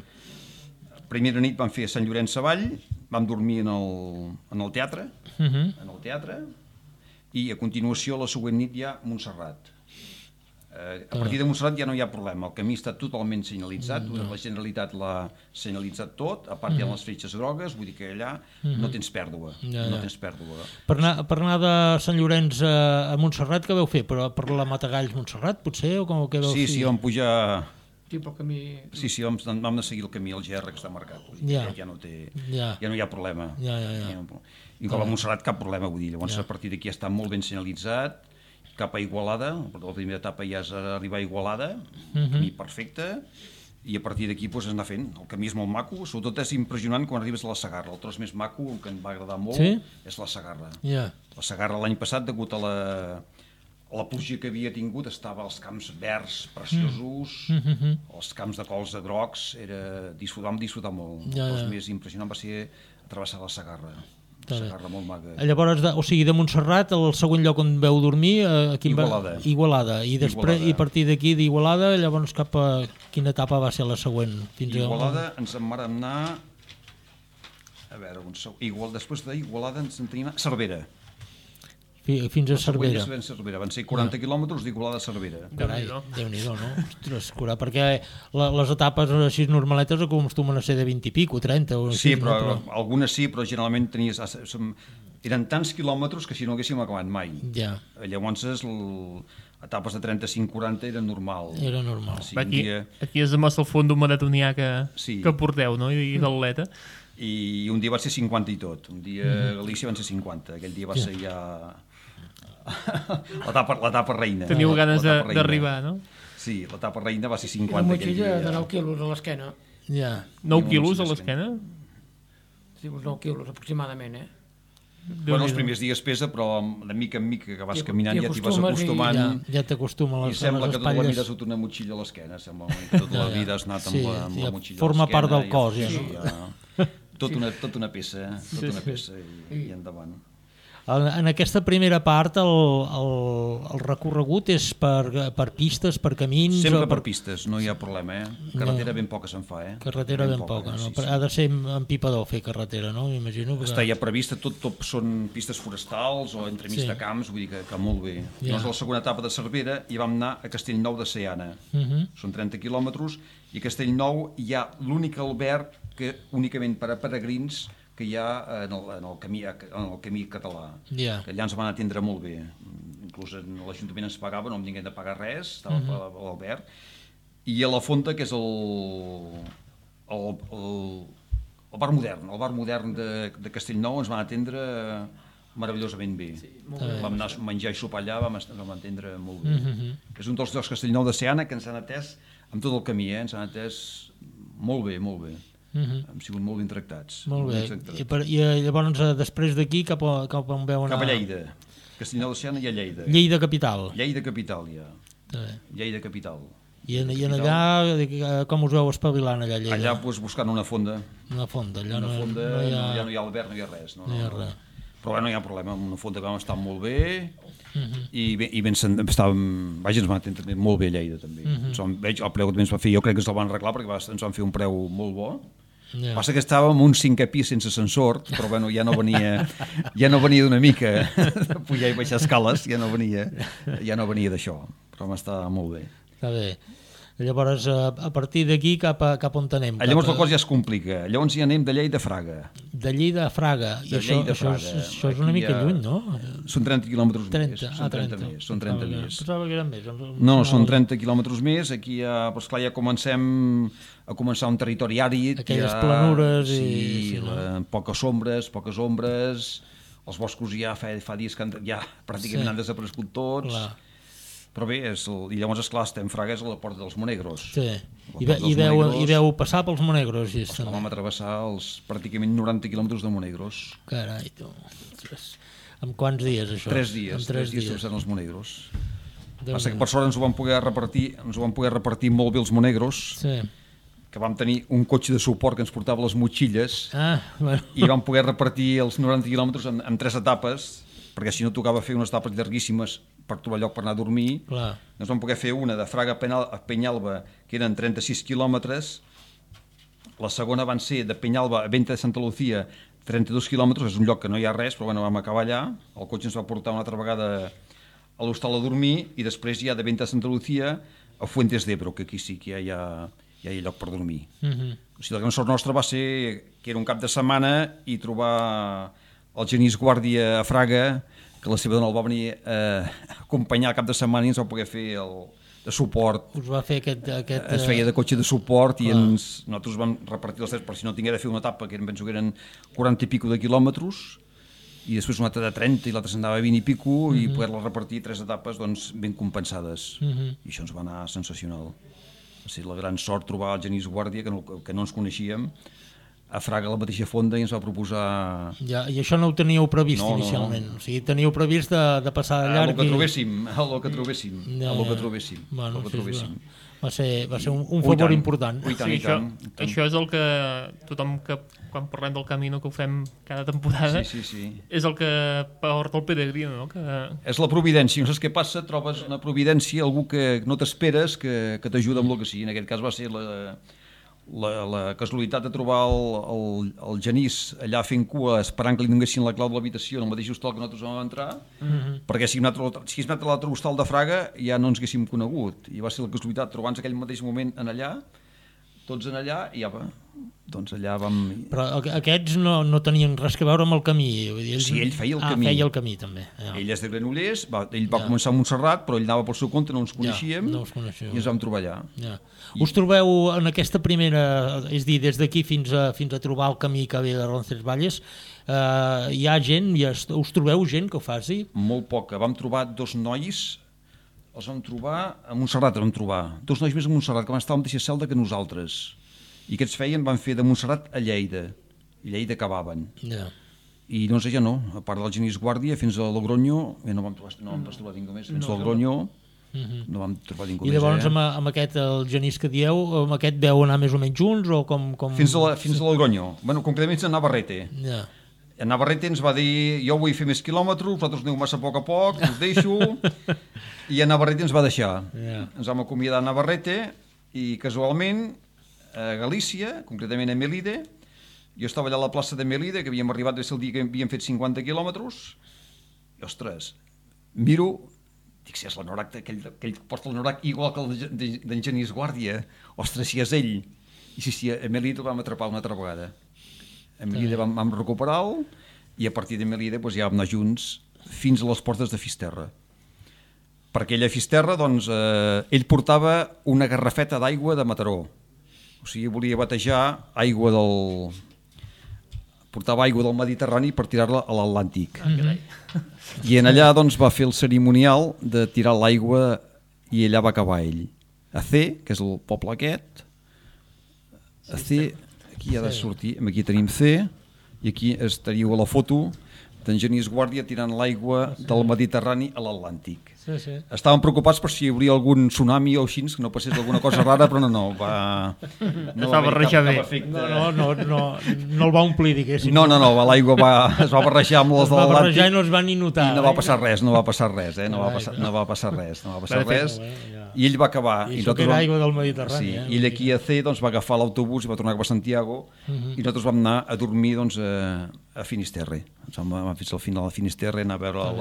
Primera nit vam fer Sant Llorenç Savall, vam dormir en el teatre, i a continuació la següent nit ja Montserrat. A partir de Montserrat ja no hi ha problema, el camí està totalment senyalitzat, la Generalitat l'ha senyalitzat tot, a part hi ha les fletxes grogues, vull dir que allà no tens pèrdua, no tens pèrdua. Per anar de Sant Llorenç a Montserrat, què vau fer? Però per la Matagalls Montserrat, potser? O com que vau fer? Sí, vam pujar... Sí, pel camí... Sí, vam de seguir el camí al GR que està marcat, vull dir que ja no hi ha problema. I com a Montserrat cap problema, vull dir, llavors a partir d'aquí està molt ben senyalitzat, cap a Igualada, la primera etapa ja és arribar a Igualada, camí perfecte, i a partir d'aquí doncs, anar fent. El camí és molt maco, sobretot és impressionant quan arribes a la Segarra. El tros més maco, el que em va agradar molt, és la Segarra. La Segarra l'any passat, degut a la pluja que havia tingut, estava als camps verds preciosos, els camps de cols de grocs, vam disfrutar molt. El més impressionant va ser travessar la Segarra. Segarra molt maca. Llavors, o sigui, de Montserrat, el segon lloc on veu dormir... Igualada. I després, i a partir d'aquí, d'Igualada, llavors cap a... Quina etapa va ser la següent? Igualada ens en vàrem anar... A veure, després d'Igualada ens en tenim a Cervera. Fins a Cervera. Van ser 40 quilòmetres d'Igualada a Cervera. Carai, Déu-n'hi-do, no? Ostres, perquè les etapes així normaletes acostumen a ser de 20 i pico, 30 o sí, però algunes sí, però generalment eren tants quilòmetres que si no haguéssim acabat mai. Llavors etapes de 35-40 eren normal. Era normal. Aquí és demostra el fons d'un maratonià que porteu, no? I d'atleta. I un dia va ser 50 i tot. Un dia a Galícia van ser 50. Aquell dia va ser ja... l'etapa reina. Teniu ganes d'arribar, no? Sí, l'etapa reina va ser 50. Una motxilla de 9 quilos a l'esquena. 9 quilos a l'esquena? Sí, uns 9 quilos aproximadament, Bueno, els primers dies pesa, però de mica en mica que vas caminant ja t'hi vas acostumant. Ja t'acostuma a les espatlles. I sembla que tota la vida has dut una motxilla a l'esquena. Sembla que tota la vida has anat amb la motxilla a l'esquena. Forma part del cos, Tot una peça, i endavant. En aquesta primera part el recorregut és per pistes, per camins... Sempre per pistes, no hi ha problema, Carretera ben poca se'n fa, Carretera ben poca, no? Ha de ser empipador fer carretera, no? M'imagino. Està ja prevista, tot són pistes forestals o entremig de camps, vull dir que molt bé. Llavors, la segona etapa de Cervera hi vam anar a Castellnou de Seana. Són 30 quilòmetres, i a Castellnou hi ha l'únic alberg que únicament per a peregrins que hi ha en el camí català. Que allà ens van atendre molt bé. Inclús l'Ajuntament ens pagava, no hem tingut de pagar res, estava a l'alberg. I a la Fonta, que és el bar modern de Castellnou, ens van atendre meravellosament bé. Vam anar a menjar i sopar allà, vam atendre molt bé. És un dels llocs Castellnou de Seana que ens han atès amb tot el camí, ens han atès molt bé, molt bé. Hem sigut molt ben tractats. Molt bé. I llavors, després d'aquí, cap on veu anar? Cap a Lleida. Castellnou de Seana i a Lleida. Lleida capital. Lleida capital, ja. Lleida capital. I allà, com us veu espavilant allà a Lleida? Allà, buscant una fonda. Una fonda, allà no hi ha alberg, no hi ha res. No hi ha res. Però no hi ha problema, una fonda que vam estar molt bé i estàvem, ens van atendre molt bé a Lleida també. El preu que també ens va fer, jo crec que ens el van arreglar perquè ens van fer un preu molt bo. Passa que estàvem en un 5è pis sense ascensor, però bueno, ja no venia d'una mica de pujar i baixar escales, ja no venia d'això, però m'està molt bé. Està bé. Llavors, a partir d'aquí, cap on anem? Llavors la cosa ja es complica. Llavors ja anem de Lleida a Fraga. De Lleida a Fraga. I això és una mica lluny, no? Són 30 quilòmetres més. Són 30 més. Pensava que eren més. No, són 30 quilòmetres més. Aquí ja comencem a començar un territori àrid. Aquelles planures i... Poques ombres. Els boscos ja fa dies que ja pràcticament han desaparegut tots. Però bé, i llavors, esclar, estem Fraga és a la porta dels Monegros. Sí, i veu passar pels Monegros. Vam travessar els pràcticament 90 quilòmetres de Monegros. Carai, tu. En quants dies, això? 3 dies travessant els Monegros. Passa que per sort ens ho vam poder repartir molt bé els Monegros, que vam tenir un cotxe de suport que ens portava les motxilles, i vam poder repartir els 90 quilòmetres en 3 etapes, perquè si no tocava fer unes etapes llarguíssimes per trobar lloc per anar a dormir. Ens vam poder fer una de Fraga a Penyalba, que eren 36 quilòmetres. La segona van ser de Penyalba a Venta de Santa Lucía, 32 quilòmetres, és un lloc que no hi ha res, però bueno, vam acabar allà. El cotxe ens va portar una altra vegada a l'hostal a dormir, i després ja de Venta de Santa Lucía a Fuentes d'Ebro, que aquí sí que ja hi ha lloc per dormir. O sigui, la gran sort nostra va ser que era un cap de setmana i trobar el Genís Guàrdia a Fraga, que la seva dona el va venir a acompanyar el cap de setmana i ens va poder fer el de suport. Us va fer aquest... Es feia de cotxe de suport i nosaltres vam repartir els 3 per si no tinguera de fer una etapa, que penso que eren 40 i pico de quilòmetres, i després una altra de 30 i l'altra s'andava a 20 i pico, i poder-la repartir 3 etapes doncs, ben compensades. I això ens va anar sensacional. Va ser la gran sort trobar el Genís Guàrdia, que no ens coneixíem, a Fraga, a la mateixa fonda, i ens va proposar... Ja, i això no ho teníeu previst inicialment? O sigui, teníeu previst de passar de llarg... El que trobéssim. Va ser un favor important. Això és el que tothom que quan parlem del Camino, que ho fem cada temporada, és el que porta el peregrino, no? És la providència, no saps què passa, trobes una providència, algú que no t'esperes, que t'ajuda amb el que sigui. En aquest cas va ser la casualitat de trobar el Genís allà fent cua, esperant que li donessin la clau de l'habitació en el mateix hostal que nosaltres vam entrar, perquè si haguéssim anat a l'altre hostal de Fraga ja no ens haguéssim conegut, i va ser la casualitat trobar-nos aquell mateix moment en allà, tots en allà, i ja va, doncs allà vam... Però aquests no tenien res que veure amb el camí. Sí, ell feia el camí. Feia el camí també. Ell és de Granollers, ell va començar a Montserrat, però ell anava pel seu compte, no ens coneixíem, i ens vam trobar allà. Us trobeu en aquesta primera, és dir, des d'aquí fins a trobar el camí que ve de Roncesvalles, hi ha gent, us trobeu gent que ho faci? Molt poca. Vam trobar 2 nois, els vam trobar a Montserrat, 2 nois més a Montserrat, que van estar a la mateixa celda que nosaltres. I aquests van fer de Montserrat a Lleida, i Lleida acabaven. I no sé, ja no, a part del Genís Guàrdia, fins a Logroño, no vam trobar ningú més, fins a Logroño no vam trobar ningú més. I llavors amb aquest, el Genís que dieu, amb aquest veu anar més o menys junts, o com... Fins a Logroño, bueno, concretament a Navarrete. A Navarrete ens va dir, jo vull fer més quilòmetres, vosaltres aneu massa a poc, us deixo, i a Navarrete ens va deixar. Ens vam acomiadar a Navarrete, i casualment a Galícia, concretament a Melide, jo estava allà a la plaça de Melide, que havíem arribat des del dia que havíem fet 50 quilòmetres, i ostres, miro, dic, si és l'anorac, aquell que porta l'anorac igual que el d'en Genís Guàrdia, ostres, si és ell. I sí, a Melide el vam atrapar una altra vegada. A Melide vam recuperar-lo, i a partir de Melide ja vam anar junts fins a les portes de Fisterra. Perquè ell a Fisterra, doncs, ell portava una garrafeta d'aigua de Mataró. O sigui, volia batejar portava aigua del Mediterrani per tirar-la a l'Atlàntic. I en allà doncs, va fer el cerimonial de tirar l'aigua, i allà va acabar ell. A C, que és el poble aquest, a C, aquí ha de sortir, aquí tenim C, i aquí estaríeu a la foto d'en Genís Guàrdia tirant l'aigua del Mediterrani a l'Atlàntic. Estaven preocupats per si hi hauria algun tsunami o així, que no passés alguna cosa rara, però no va barrejar bé. No el va omplir, diguéssim. No, l'aigua es va barrejar amb les de l'Atlàntic. Es va barrejar i no es va ni notar. I no va passar res, no va passar res. I ell va acabar. I això que era aigua del Mediterrani. I ell aquí a C va agafar l'autobús i va tornar cap a Santiago, i nosaltres vam anar a dormir a Finisterre. Vam anar fins al final de Finisterre, anar a veure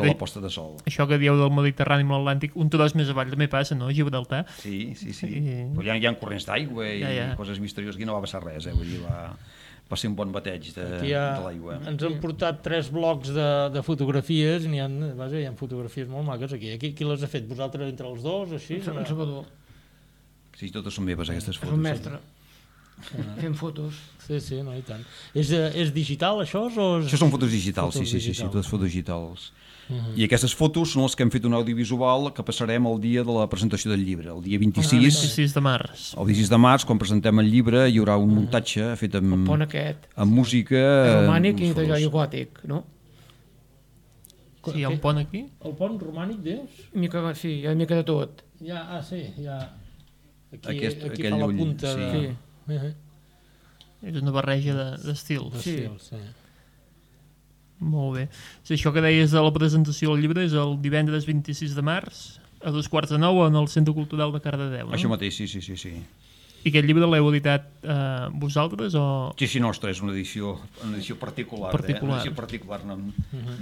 la posta de sol. Això que dieu del Mediterrani amb l'Atlàntic, un tros més avall també passa, no? Gibraltar. Sí. Però hi ha corrents d'aigua i coses misterioses, aquí no va passar res, vull dir, va ser un bon bateig de l'aigua. Ens han portat 3 blocs de fotografies, hi ha fotografies molt maques aquí. Qui les ha fet? Vosaltres entre els dos, així? En Salvador. Sí, totes són meves, aquestes fotos. És un mestre. Fent fotos. Sí, no, i tant. És digital, això? Això són fotos digitals, sí, totes fotos digitals. I aquestes fotos són les que hem fet un audiovisual que passarem el dia de la presentació del llibre, el dia 26 de març. El 26 de març, quan presentem el llibre, hi haurà un muntatge fet amb música... romànic i de gòtic, no? Sí, hi ha un pont aquí? El pont romànic, dius? Sí, hi ha una mica de tot. Sí, hi ha... Aquí fa la punta de... És una barreja d'estils. Sí. Molt bé. Si això que deies de la presentació del llibre és el divendres 26 de març a 8:45 en el Centre Cultural de Cardedeu, no? Això mateix, sí. I aquest llibre l'heu editat vosaltres o...? Sí, nostre, és una edició particular. Una edició particular. No hem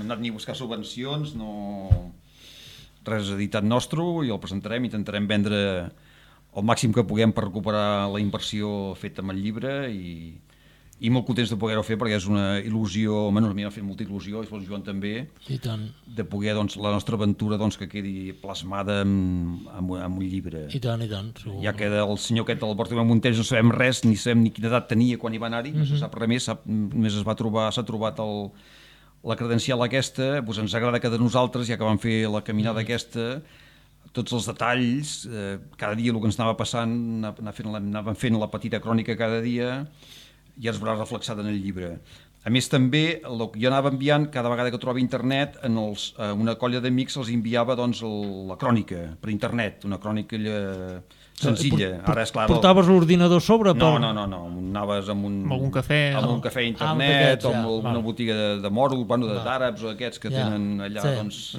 anat ni a buscar subvencions, no... res editat nostre i el presentarem, intentarem vendre el màxim que puguem per recuperar la inversió feta amb el llibre i molt contents de poder-ho fer perquè és una il·lusió, a mi m'ha fet molta il·lusió, i el Joan també, de poder la nostra aventura que quedi plasmada en un llibre. I tant, segur. Ja que el senyor aquest, el Bartomeu Montells, no sabem res, ni sabem ni quina edat tenia quan hi va anar-hi, no se sap res més, només s'ha trobat la credencial aquesta, doncs ens agrada que de nosaltres, ja que vam fer la caminada aquesta, tots els detalls, cada dia el que ens anava passant, anàvem fent la petita crònica cada dia, i es veurà reflexat en el llibre. A més, també, el que jo anava enviant, cada vegada que trobava internet, una colla d'amics els enviava la crònica per internet, una crònica senzilla. Ara, esclar, portaves l'ordinador a sobre? No, anaves amb algun cafè a internet, o amb una botiga de moros, d'àrabs o aquests que tenen allà,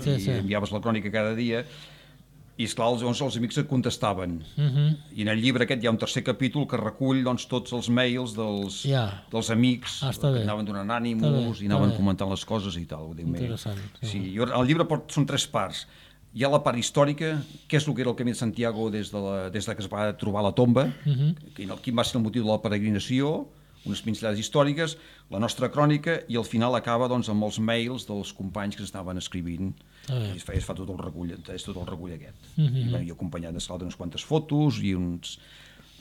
i enviaves la crònica cada dia. I esclar, llavors els amics et contestaven. I en el llibre aquest hi ha un tercer capítol que recull tots els mails dels amics, que anaven donant ànims i anaven comentant les coses i tal. Interessant. El llibre són 3 parts. Hi ha la part històrica, què és el que era el Camí de Santiago des que es va trobar la tomba, quin va ser el motiu de la peregrinació, unes pinzellades històriques, la nostra crònica, i al final acaba amb els mails dels companys que estaven escrivint. I es fa tot el recull aquest. Jo acompanyat d'unes quantes fotos i uns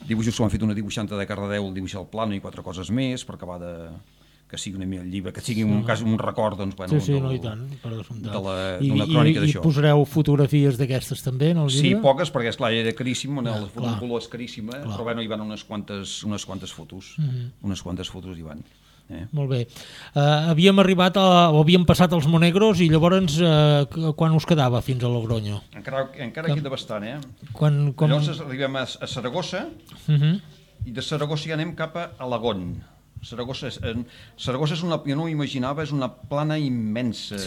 dibuixos que m'han fet una dibuixanta de Cardedeu, el dibuixar el plano i 4 coses més per acabar que sigui una mica el llibre, que sigui un record i tant, per descomptat. D'una crònica d'això. I posareu fotografies d'aquestes també en el llibre? Sí, poques, perquè esclar, era caríssim, el foto en color és caríssima, però bueno, hi van unes quantes fotos. Unes quantes fotos hi van. Molt bé. Havíem passat els Monegros i llavors quan us quedava fins a Logroño? Encara queda bastant, Llavors arribem a Saragossa i de Saragossa ja anem cap a Alagón. Saragossa és jo no ho imaginava, és una plana immensa.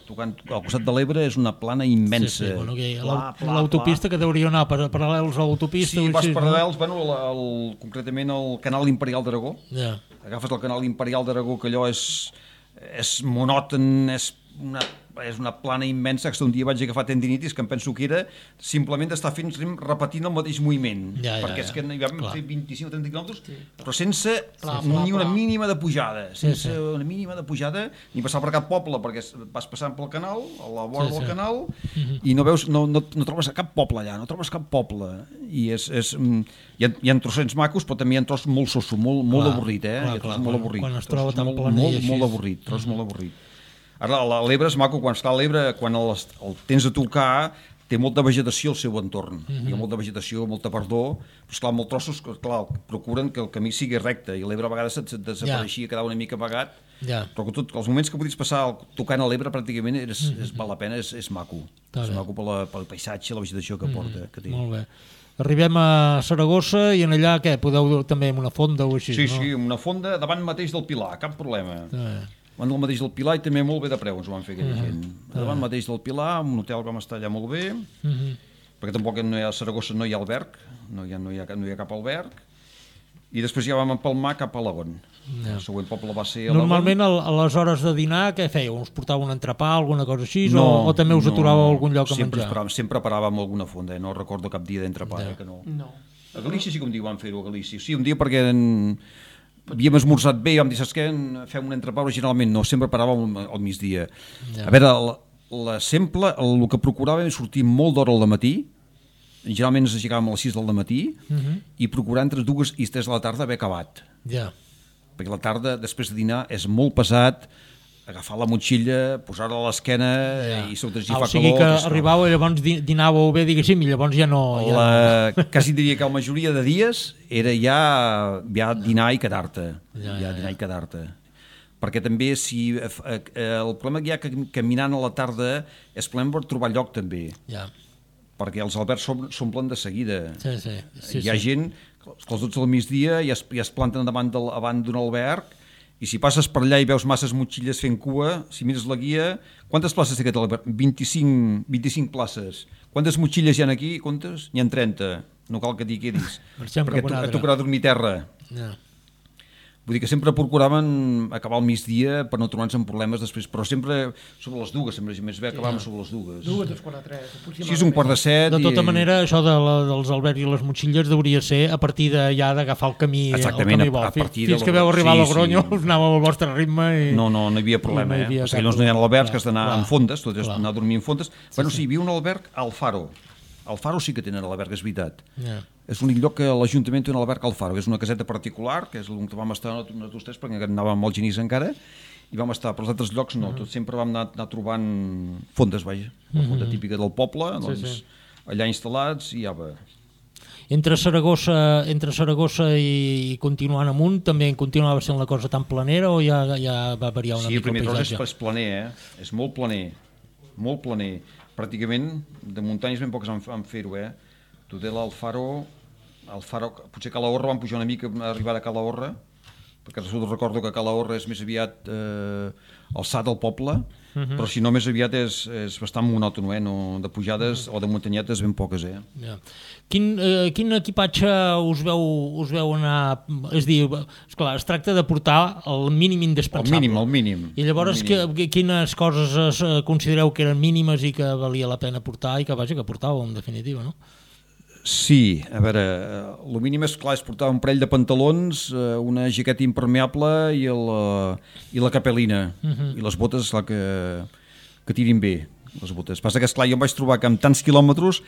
Tocant al costat de l'Ebre és una plana immensa. L'autopista que deuria anar paral·lels a l'autopista. Sí, vas paral·lels, concretament al Canal Imperial d'Aragó. Agafes el Canal Imperial d'Aragó, que allò és monòton, és una plana immensa, que un dia vaig agafar tendinitis, que em penso que era simplement d'estar repetint el mateix moviment, perquè és que hi vam fer 25 o 30 quilòmetres, però sense ni una mínima de pujada, ni passar per cap poble, perquè vas passant pel canal, a la vora del canal, i no trobes cap poble allà, i hi ha trossets macos, però també hi ha tros molt soso, molt avorrit, quan es troba tan planer així. Molt avorrit. Ara, l'Ebre és maco, quan el tens a tocar, té molta vegetació al seu entorn. Hi ha molta vegetació, molta verdor, però esclar, molts trossos procuren que el camí sigui recte, i l'Ebre a vegades desapareixia, quedava una mica amagat, però els moments que podies passar tocant a l'Ebre pràcticament val la pena, és maco. És maco pel paisatge, la vegetació que porta. Molt bé. Arribem a Saragossa i en allà, què? Podeu també amb una fonda o així? Sí, una fonda davant mateix del Pilar, cap problema. Davant del mateix del Pilar i també molt bé de preu ens ho van fer aquella gent. Davant mateix del Pilar, un hotel vam estar allà molt bé, perquè tampoc a Saragossa no hi ha alberg, no hi ha cap alberg, i després ja vam empalmar cap a Alagón. El següent poble va ser Alagón. Normalment a les hores de dinar què fèieu? Us portava un entrepà, alguna cosa així, o també us aturàveu a algun lloc a menjar? Sempre paràvem alguna fonda, no recordo cap dia d'entrepà, que no. A Galícia sí que un dia vam fer-ho, a Galícia. Sí, un dia perquè havíem esmorzat bé i vam dir, saps què, fem un entrepà, originalment no, sempre paràvem al migdia. A veure, sempre el que procuràvem és sortir molt d'hora al matí, generalment ens aixecàvem a les 6 del matí, i procurar entre 2 i 3 de la tarda haver acabat. Perquè la tarda, després de dinar, és molt pesat, agafar la motxilla, posar-la a l'esquena i sota si fa calor. O sigui que arribàveu i llavors dinàveu bé, diguéssim, i llavors ja no... Quasi diria que la majoria de dies era ja dinar i quedar-te. Perquè també el problema que hi ha caminant a la tarda és problema per trobar lloc també. Perquè els albergs s'omplen de seguida. Hi ha gent que als 12 del migdia ja es planten davant d'un alberg, i si passes per allà i veus masses motxilles fent cua, si mires la guia, quantes places té aquest alberg? 25 places. Quantes motxilles hi ha aquí? Comptes? N'hi ha 30. No cal que t'hi quedis. Perquè et tocarà dormir a terra. Vull dir que sempre procuraven acabar al migdia per no trobar-nos amb problemes després, però sempre sobre les dues, sempre més bé acabàvem sobre les dues. 2:45. 6, 6:45. De tota manera, això dels albergs i les motxilles deuria ser a partir d'allà d'agafar el camí, exactament, el camí bo. a partir Fins de que veu arribar a Logronyo, sí. us anàveu al vostre ritme i... No hi havia problema, no hi havia perquè llavors no hi ha albergs que has d'anar clar, en fondes, tot és clar. anar a dormir en fondes. Bueno, sí, hi havia un alberg al Faro. Al Faro sí que tenen alberg, és veritat. És l'únic lloc que l'Ajuntament té un alberg al Faro, que és una caseta particular, que és on vam estar nosaltres, perquè anàvem molt genís encara, i vam estar, però els altres llocs no, tots sempre vam anar trobant fondes, vaja, la fonda típica del poble, doncs allà instal·lats i ja va. Entre Saragossa i continuant amunt, també continuava sent la cosa tan planera o ja va variar una mica el paisatge? Sí, el primer tros és planer, és molt planer. Pràcticament de muntanyes ben poques han fer-ho, Tudela, el Faro, potser Calahorra van pujar una mica a arribar a Calahorra, perquè recordo que Calahorra és més aviat alçat al poble, però si no més aviat és bastant monòton, no? De pujades o de muntanyetes ben poques. Quin equipatge us veu anar... És dir, esclar, es tracta de portar el mínim indispensable. El mínim. I llavors quines coses considereu que eren mínimes i que valia la pena portar i que portàveu en definitiva, no? Sí, a veure, el mínim és clar, és portar un parell de pantalons, una jaqueta impermeable i la capelina, i les botes, esclar, que tirin bé, les botes. Passa que, esclar, jo em vaig trobar que amb tants quilòmetres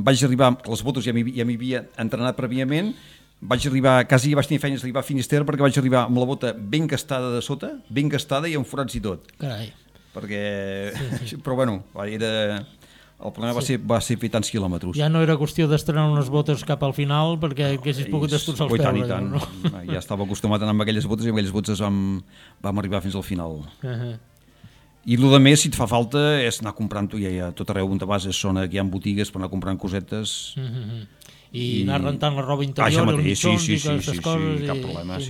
vaig arribar, les botes ja m'hi havia entrenat prèviament, quasi vaig tenir feines d'arribar a Finisterre perquè vaig arribar amb la bota ben gastada de sota, ben gastada i amb forats i tot. Carai. Sí. Però bueno, el problema va ser fer tants quilòmetres. Ja no era qüestió d'estrenar unes botes cap al final perquè haguessis pogut destrossar els peus. I tant. No? Ja estava acostumat a anar amb aquelles botes i amb aquelles botes vam arribar fins al final. I el més, si et fa falta, és anar comprant-ho, ja tot arreu on te vas és zona que hi ha botigues per anar comprant cosetes. I anar rentant la roba interior, els mitjons i aquestes coses. Sí, cap problema.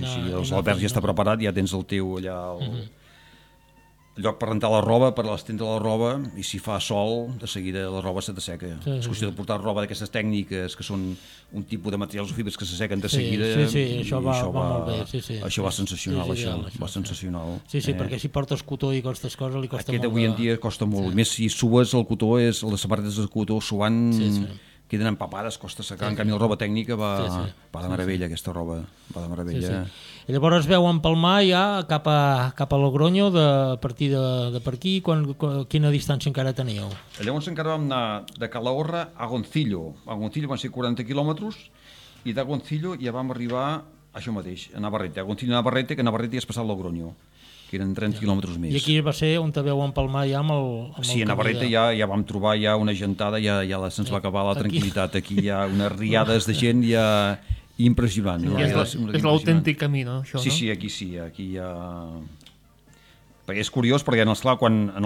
L'alberg ja està preparat, ja tens el teu allà... El lloc per rentar la roba, per l'estendre la roba, i si fa sol, de seguida la roba se t'asseca. És qüestió de portar roba d'aquestes tècniques que són un tipus de materials o fibres que s'assequen de seguida. Sí, això va molt bé. Això va sensacional, va sensacional. Sí, perquè si portes cotó i aquestes coses li costa molt. Aquest avui en dia costa molt. Més si sues el cotó, les sabates de cotó suant... queden empapades, costa secar, en canvi la roba tècnica va de meravella, aquesta roba va de meravella. I llavors veu empalmar ja cap a Logronyo a partir de per aquí, quina distància encara teníeu? Llavors encara vam anar de Calahorra a Goncillo. A Goncillo van ser 40 quilòmetres i de Goncillo ja vam arribar a això mateix, a Navarrete. A Goncillo a Navarrete, que a Navarrete ja has passat Logronyo, que eren 30 quilòmetres més. I aquí va ser on te veu empalmar ja amb el sí, a Navarrete ja vam trobar ja una gentada, ja se'ns va acabar la tranquil·litat. Aquí hi ha unes riades de gent ja impressionant. És l'autèntic camí, no? Sí, aquí hi ha... Perquè és curiós, perquè en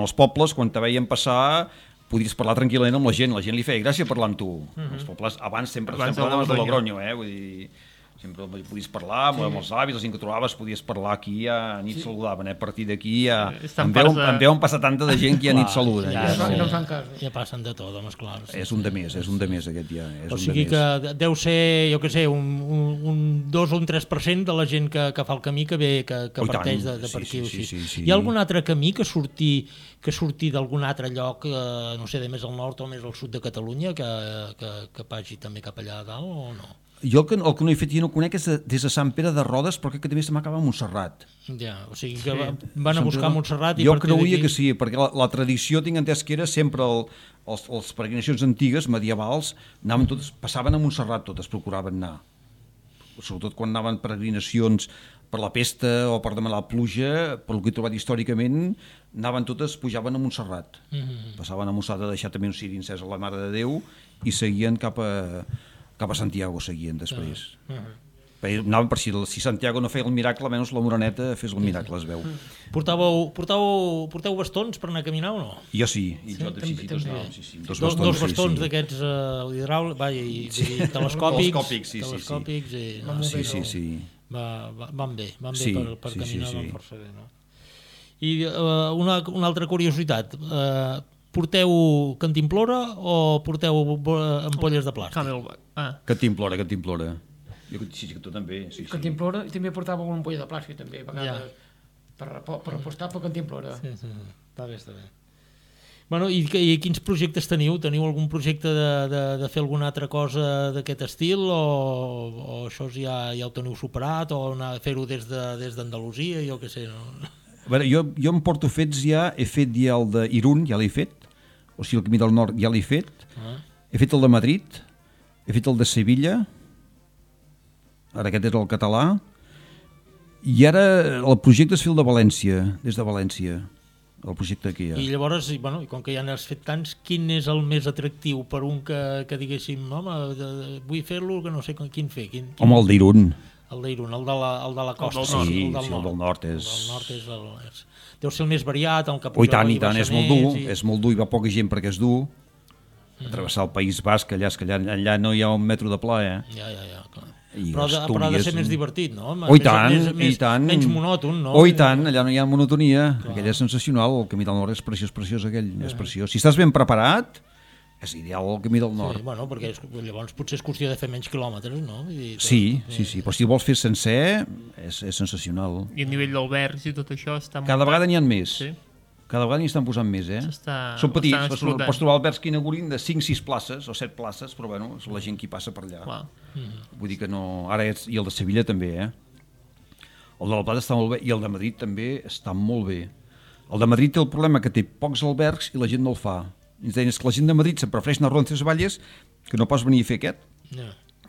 els pobles, quan te veien passar, podies parlar tranquil·lament amb la gent li feia gràcia parlar amb tu. Els pobles abans sempre parlaves de Logronyo, vull dir... Sempre podies parlar amb els avis, la gent que trobaves, podies parlar aquí, a nit saludaven, a partir d'aquí en veuen passar tanta de gent que ja nit saluden. Ja passen de tot, home, esclar. És un de més aquest ja. O sigui que deu ser, jo què sé, un 2 o un 3% de la gent que fa el camí que parteix de per aquí. Hi ha algun altre camí que surti d'algun altre lloc, no sé, de més al nord o més al sud de Catalunya, que vagi també cap allà a dalt o no? Jo el que no he fet i no conec és des de Sant Pere de Rodes, però que també se m'acaba a Montserrat. Ja, o sigui que van a buscar Montserrat i jo creuia que sí, perquè la tradició tinc entès que era sempre les peregrinacions antigues, medievals, passaven a Montserrat totes, procuraven anar. Sobretot quan anaven peregrinacions per la pesta o per demanar pluja, per el que he trobat històricament, pujaven a Montserrat. Passaven a Montserrat a deixar també un ciri encès a la Mare de Déu i seguien cap a Santiago seguien després. Anaven per si Santiago no feia el miracle, almenys la Moreneta fes el miracle, es veu. Porteu bastons per anar a caminar o no? Jo sí. Dos bastons d'aquests hidràulics i telescòpics. Sí. Van bé per caminar, van força bé. I una altra curiositat, porteu cantimplora o porteu ampolles de plàstic? Cantimplora. Sí, que tu també. Sí, sí. Cantimplora, i també portava una ampolla de plàstic, també, a vegades, per apostar per Cantimplora. Sí. Està bé. Bueno, i quins projectes teniu? Teniu algun projecte de fer alguna altra cosa d'aquest estil o això ja ho teniu superat o anar a fer-ho des d'Andalusia, jo què sé, no? A veure, jo em porto fets ja, he fet ja el d'Irun, ja l'he fet, o sigui el Camí del Nord ja l'he fet, he fet el de Madrid, he fet el de Sevilla, ara aquest és el català, i ara el projecte és fer el de València, des de València. El projecte que hi ha. I llavors, i com que ja n'has fet tants, quin és el més atractiu per un que diguéssim, home, vull fer-lo, que no sé quin fer? Home, el d'Irun. El d'Irun, el de la costa. Sí, el del nord és... El del nord deu ser el més variat, el que i tant, és molt dur, i va poca gent perquè és dur. Travessar el País Basc, allà no hi ha un metro de pla, Ja, clar. Però ha de ser més divertit, no? I tant. Menys monòton, no? I tant, allà no hi ha monotonia. Aquell és sensacional, el Camí del Nord és preciós aquell, és preciós. Si estàs ben preparat, és ideal el Camí del Nord. Sí, perquè llavors potser és qüestió de fer menys quilòmetres, no? Sí, però si el vols fer sencer, és sensacional. I a nivell d'albergs i tot això està... Cada vegada n'hi ha més. Sí. Cada vegada n'hi estan posant més, Són petits, pots trobar albergs que inaugurin de 5-6 places o 7 places, però bueno, és la gent qui passa per allà. Vull dir que no... Ara i el de Sevilla també, El de la Plata està molt bé i el de Madrid també està molt bé. El de Madrid té el problema que té pocs albergs i la gent no el fa. I ens deien que la gent de Madrid se'n prefereix anar a Roncesvalles que no pas venir a fer aquest.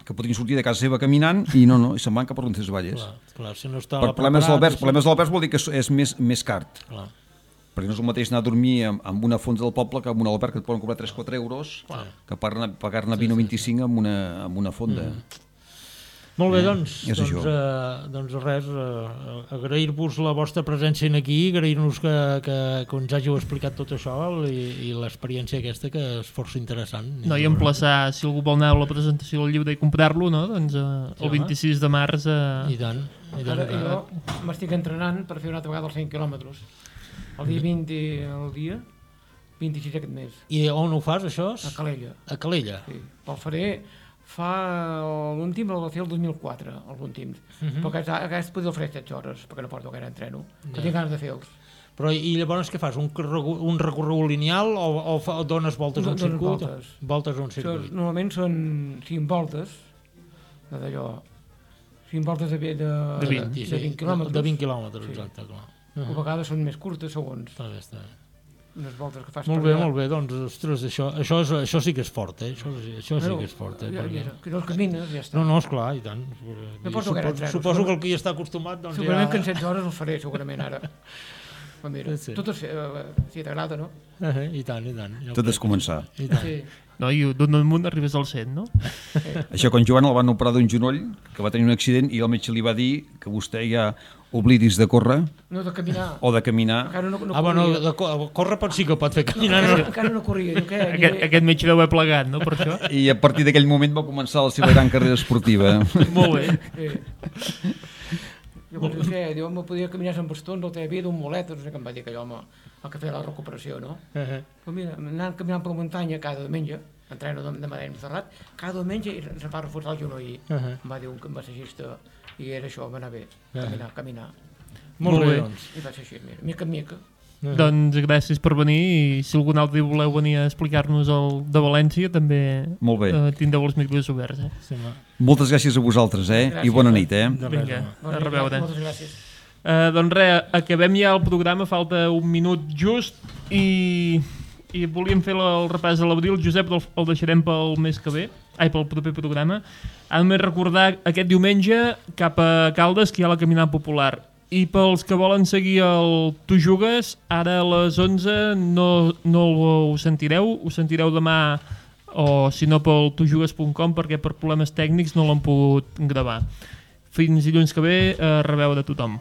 Que podrien sortir de casa seva caminant i no, i se'n van cap a Roncesvalles. Clar, si no està per problemes d'albergs vol dir que és més car. Clar. Perquè no és el mateix anar a dormir en una fonda del poble que en un alberg que et poden cobrar 3-4 euros que pagar-ne 20 o 25 en una fonda. Molt bé, doncs res, agrair-vos la vostra presència aquí, agrair-nos que ens hàgiu explicat tot això i l'experiència aquesta que és força interessant. No, i emplaçar, si algú vol anar a la presentació del llibre i comprar-lo, no? Doncs el 26 de març... I tant. Ara jo m'estic entrenant per fer una altra vegada els 100 quilòmetres. El dia 20, el dia 26 aquest mes. I on ho fas, això? A Calella. A Calella? Sí. El faré, l'últim el va fer el 2004, l'últim. Però aquest podia fer 7 hores, perquè no porto gaire entreno, que tinc ganes de fer-los. Però i llavors què fas? Un recorregut lineal o dones voltes a un circuit? Voltes a un circuit. Normalment són 5 voltes, d'allò, 5 voltes de 20 quilòmetres. De 20 quilòmetres, exacte, clar. A vegades són més curtes, segons. Està bé. Unes voltes que fas molt bé, doncs, ostres, això sí que és fort, Això sí que és fort, Que no el camines, ja està. No, esclar, i tant. Suposo que el que hi està acostumat, doncs segurament que en 7 hores el faré, segurament, ara. Mira, tot si t'agrada, no? I tant. Tot és començar. No, i d'un munt arribes al 100, no? Això, quan Joan el van operar d'un genoll, que va tenir un accident, i el metge li va dir que vostè ja oblidis de córrer. No, de caminar. O de caminar. De córrer sí que pot fer caminar. Encara no corria. Aquest metge deu haver plegat, no, per això? I a partir d'aquell moment va començar la seva gran carrera esportiva. Molt bé. Llavors, jo me podia caminar amb bastons, el havia d'un molet, no sé què em va dir aquell home, el que feia la recuperació, no? Però mira, anant caminant per la muntanya cada diumenge, entreno de Madrid Montserrat, cada diumenge se'n va reforçar el genoll. Em va dir un massagista, i era això, va anar bé, caminar. Molt bé. I va ser així, mica en mica. Doncs gràcies per venir, i si algun altre voleu venir a explicar-nos el de València, també tindreu els micros oberts. Moltes gràcies a vosaltres, i bona nit. Vinga, a reveure. Moltes gràcies. Doncs res, acabem ja el programa, falta un minut just, i volíem fer el repàs de l'abril. Josep, el deixarem pel mes que ve, pel proper programa. A més, recordar aquest diumenge cap a Caldes, que hi ha la caminada popular. I pels que volen seguir el Tu Jugues, ara a les 11 no ho sentireu demà, o si no pel tujugues.com, perquè per problemes tècnics no l'han pogut gravar. Fins dilluns que ve, a reveure a tothom.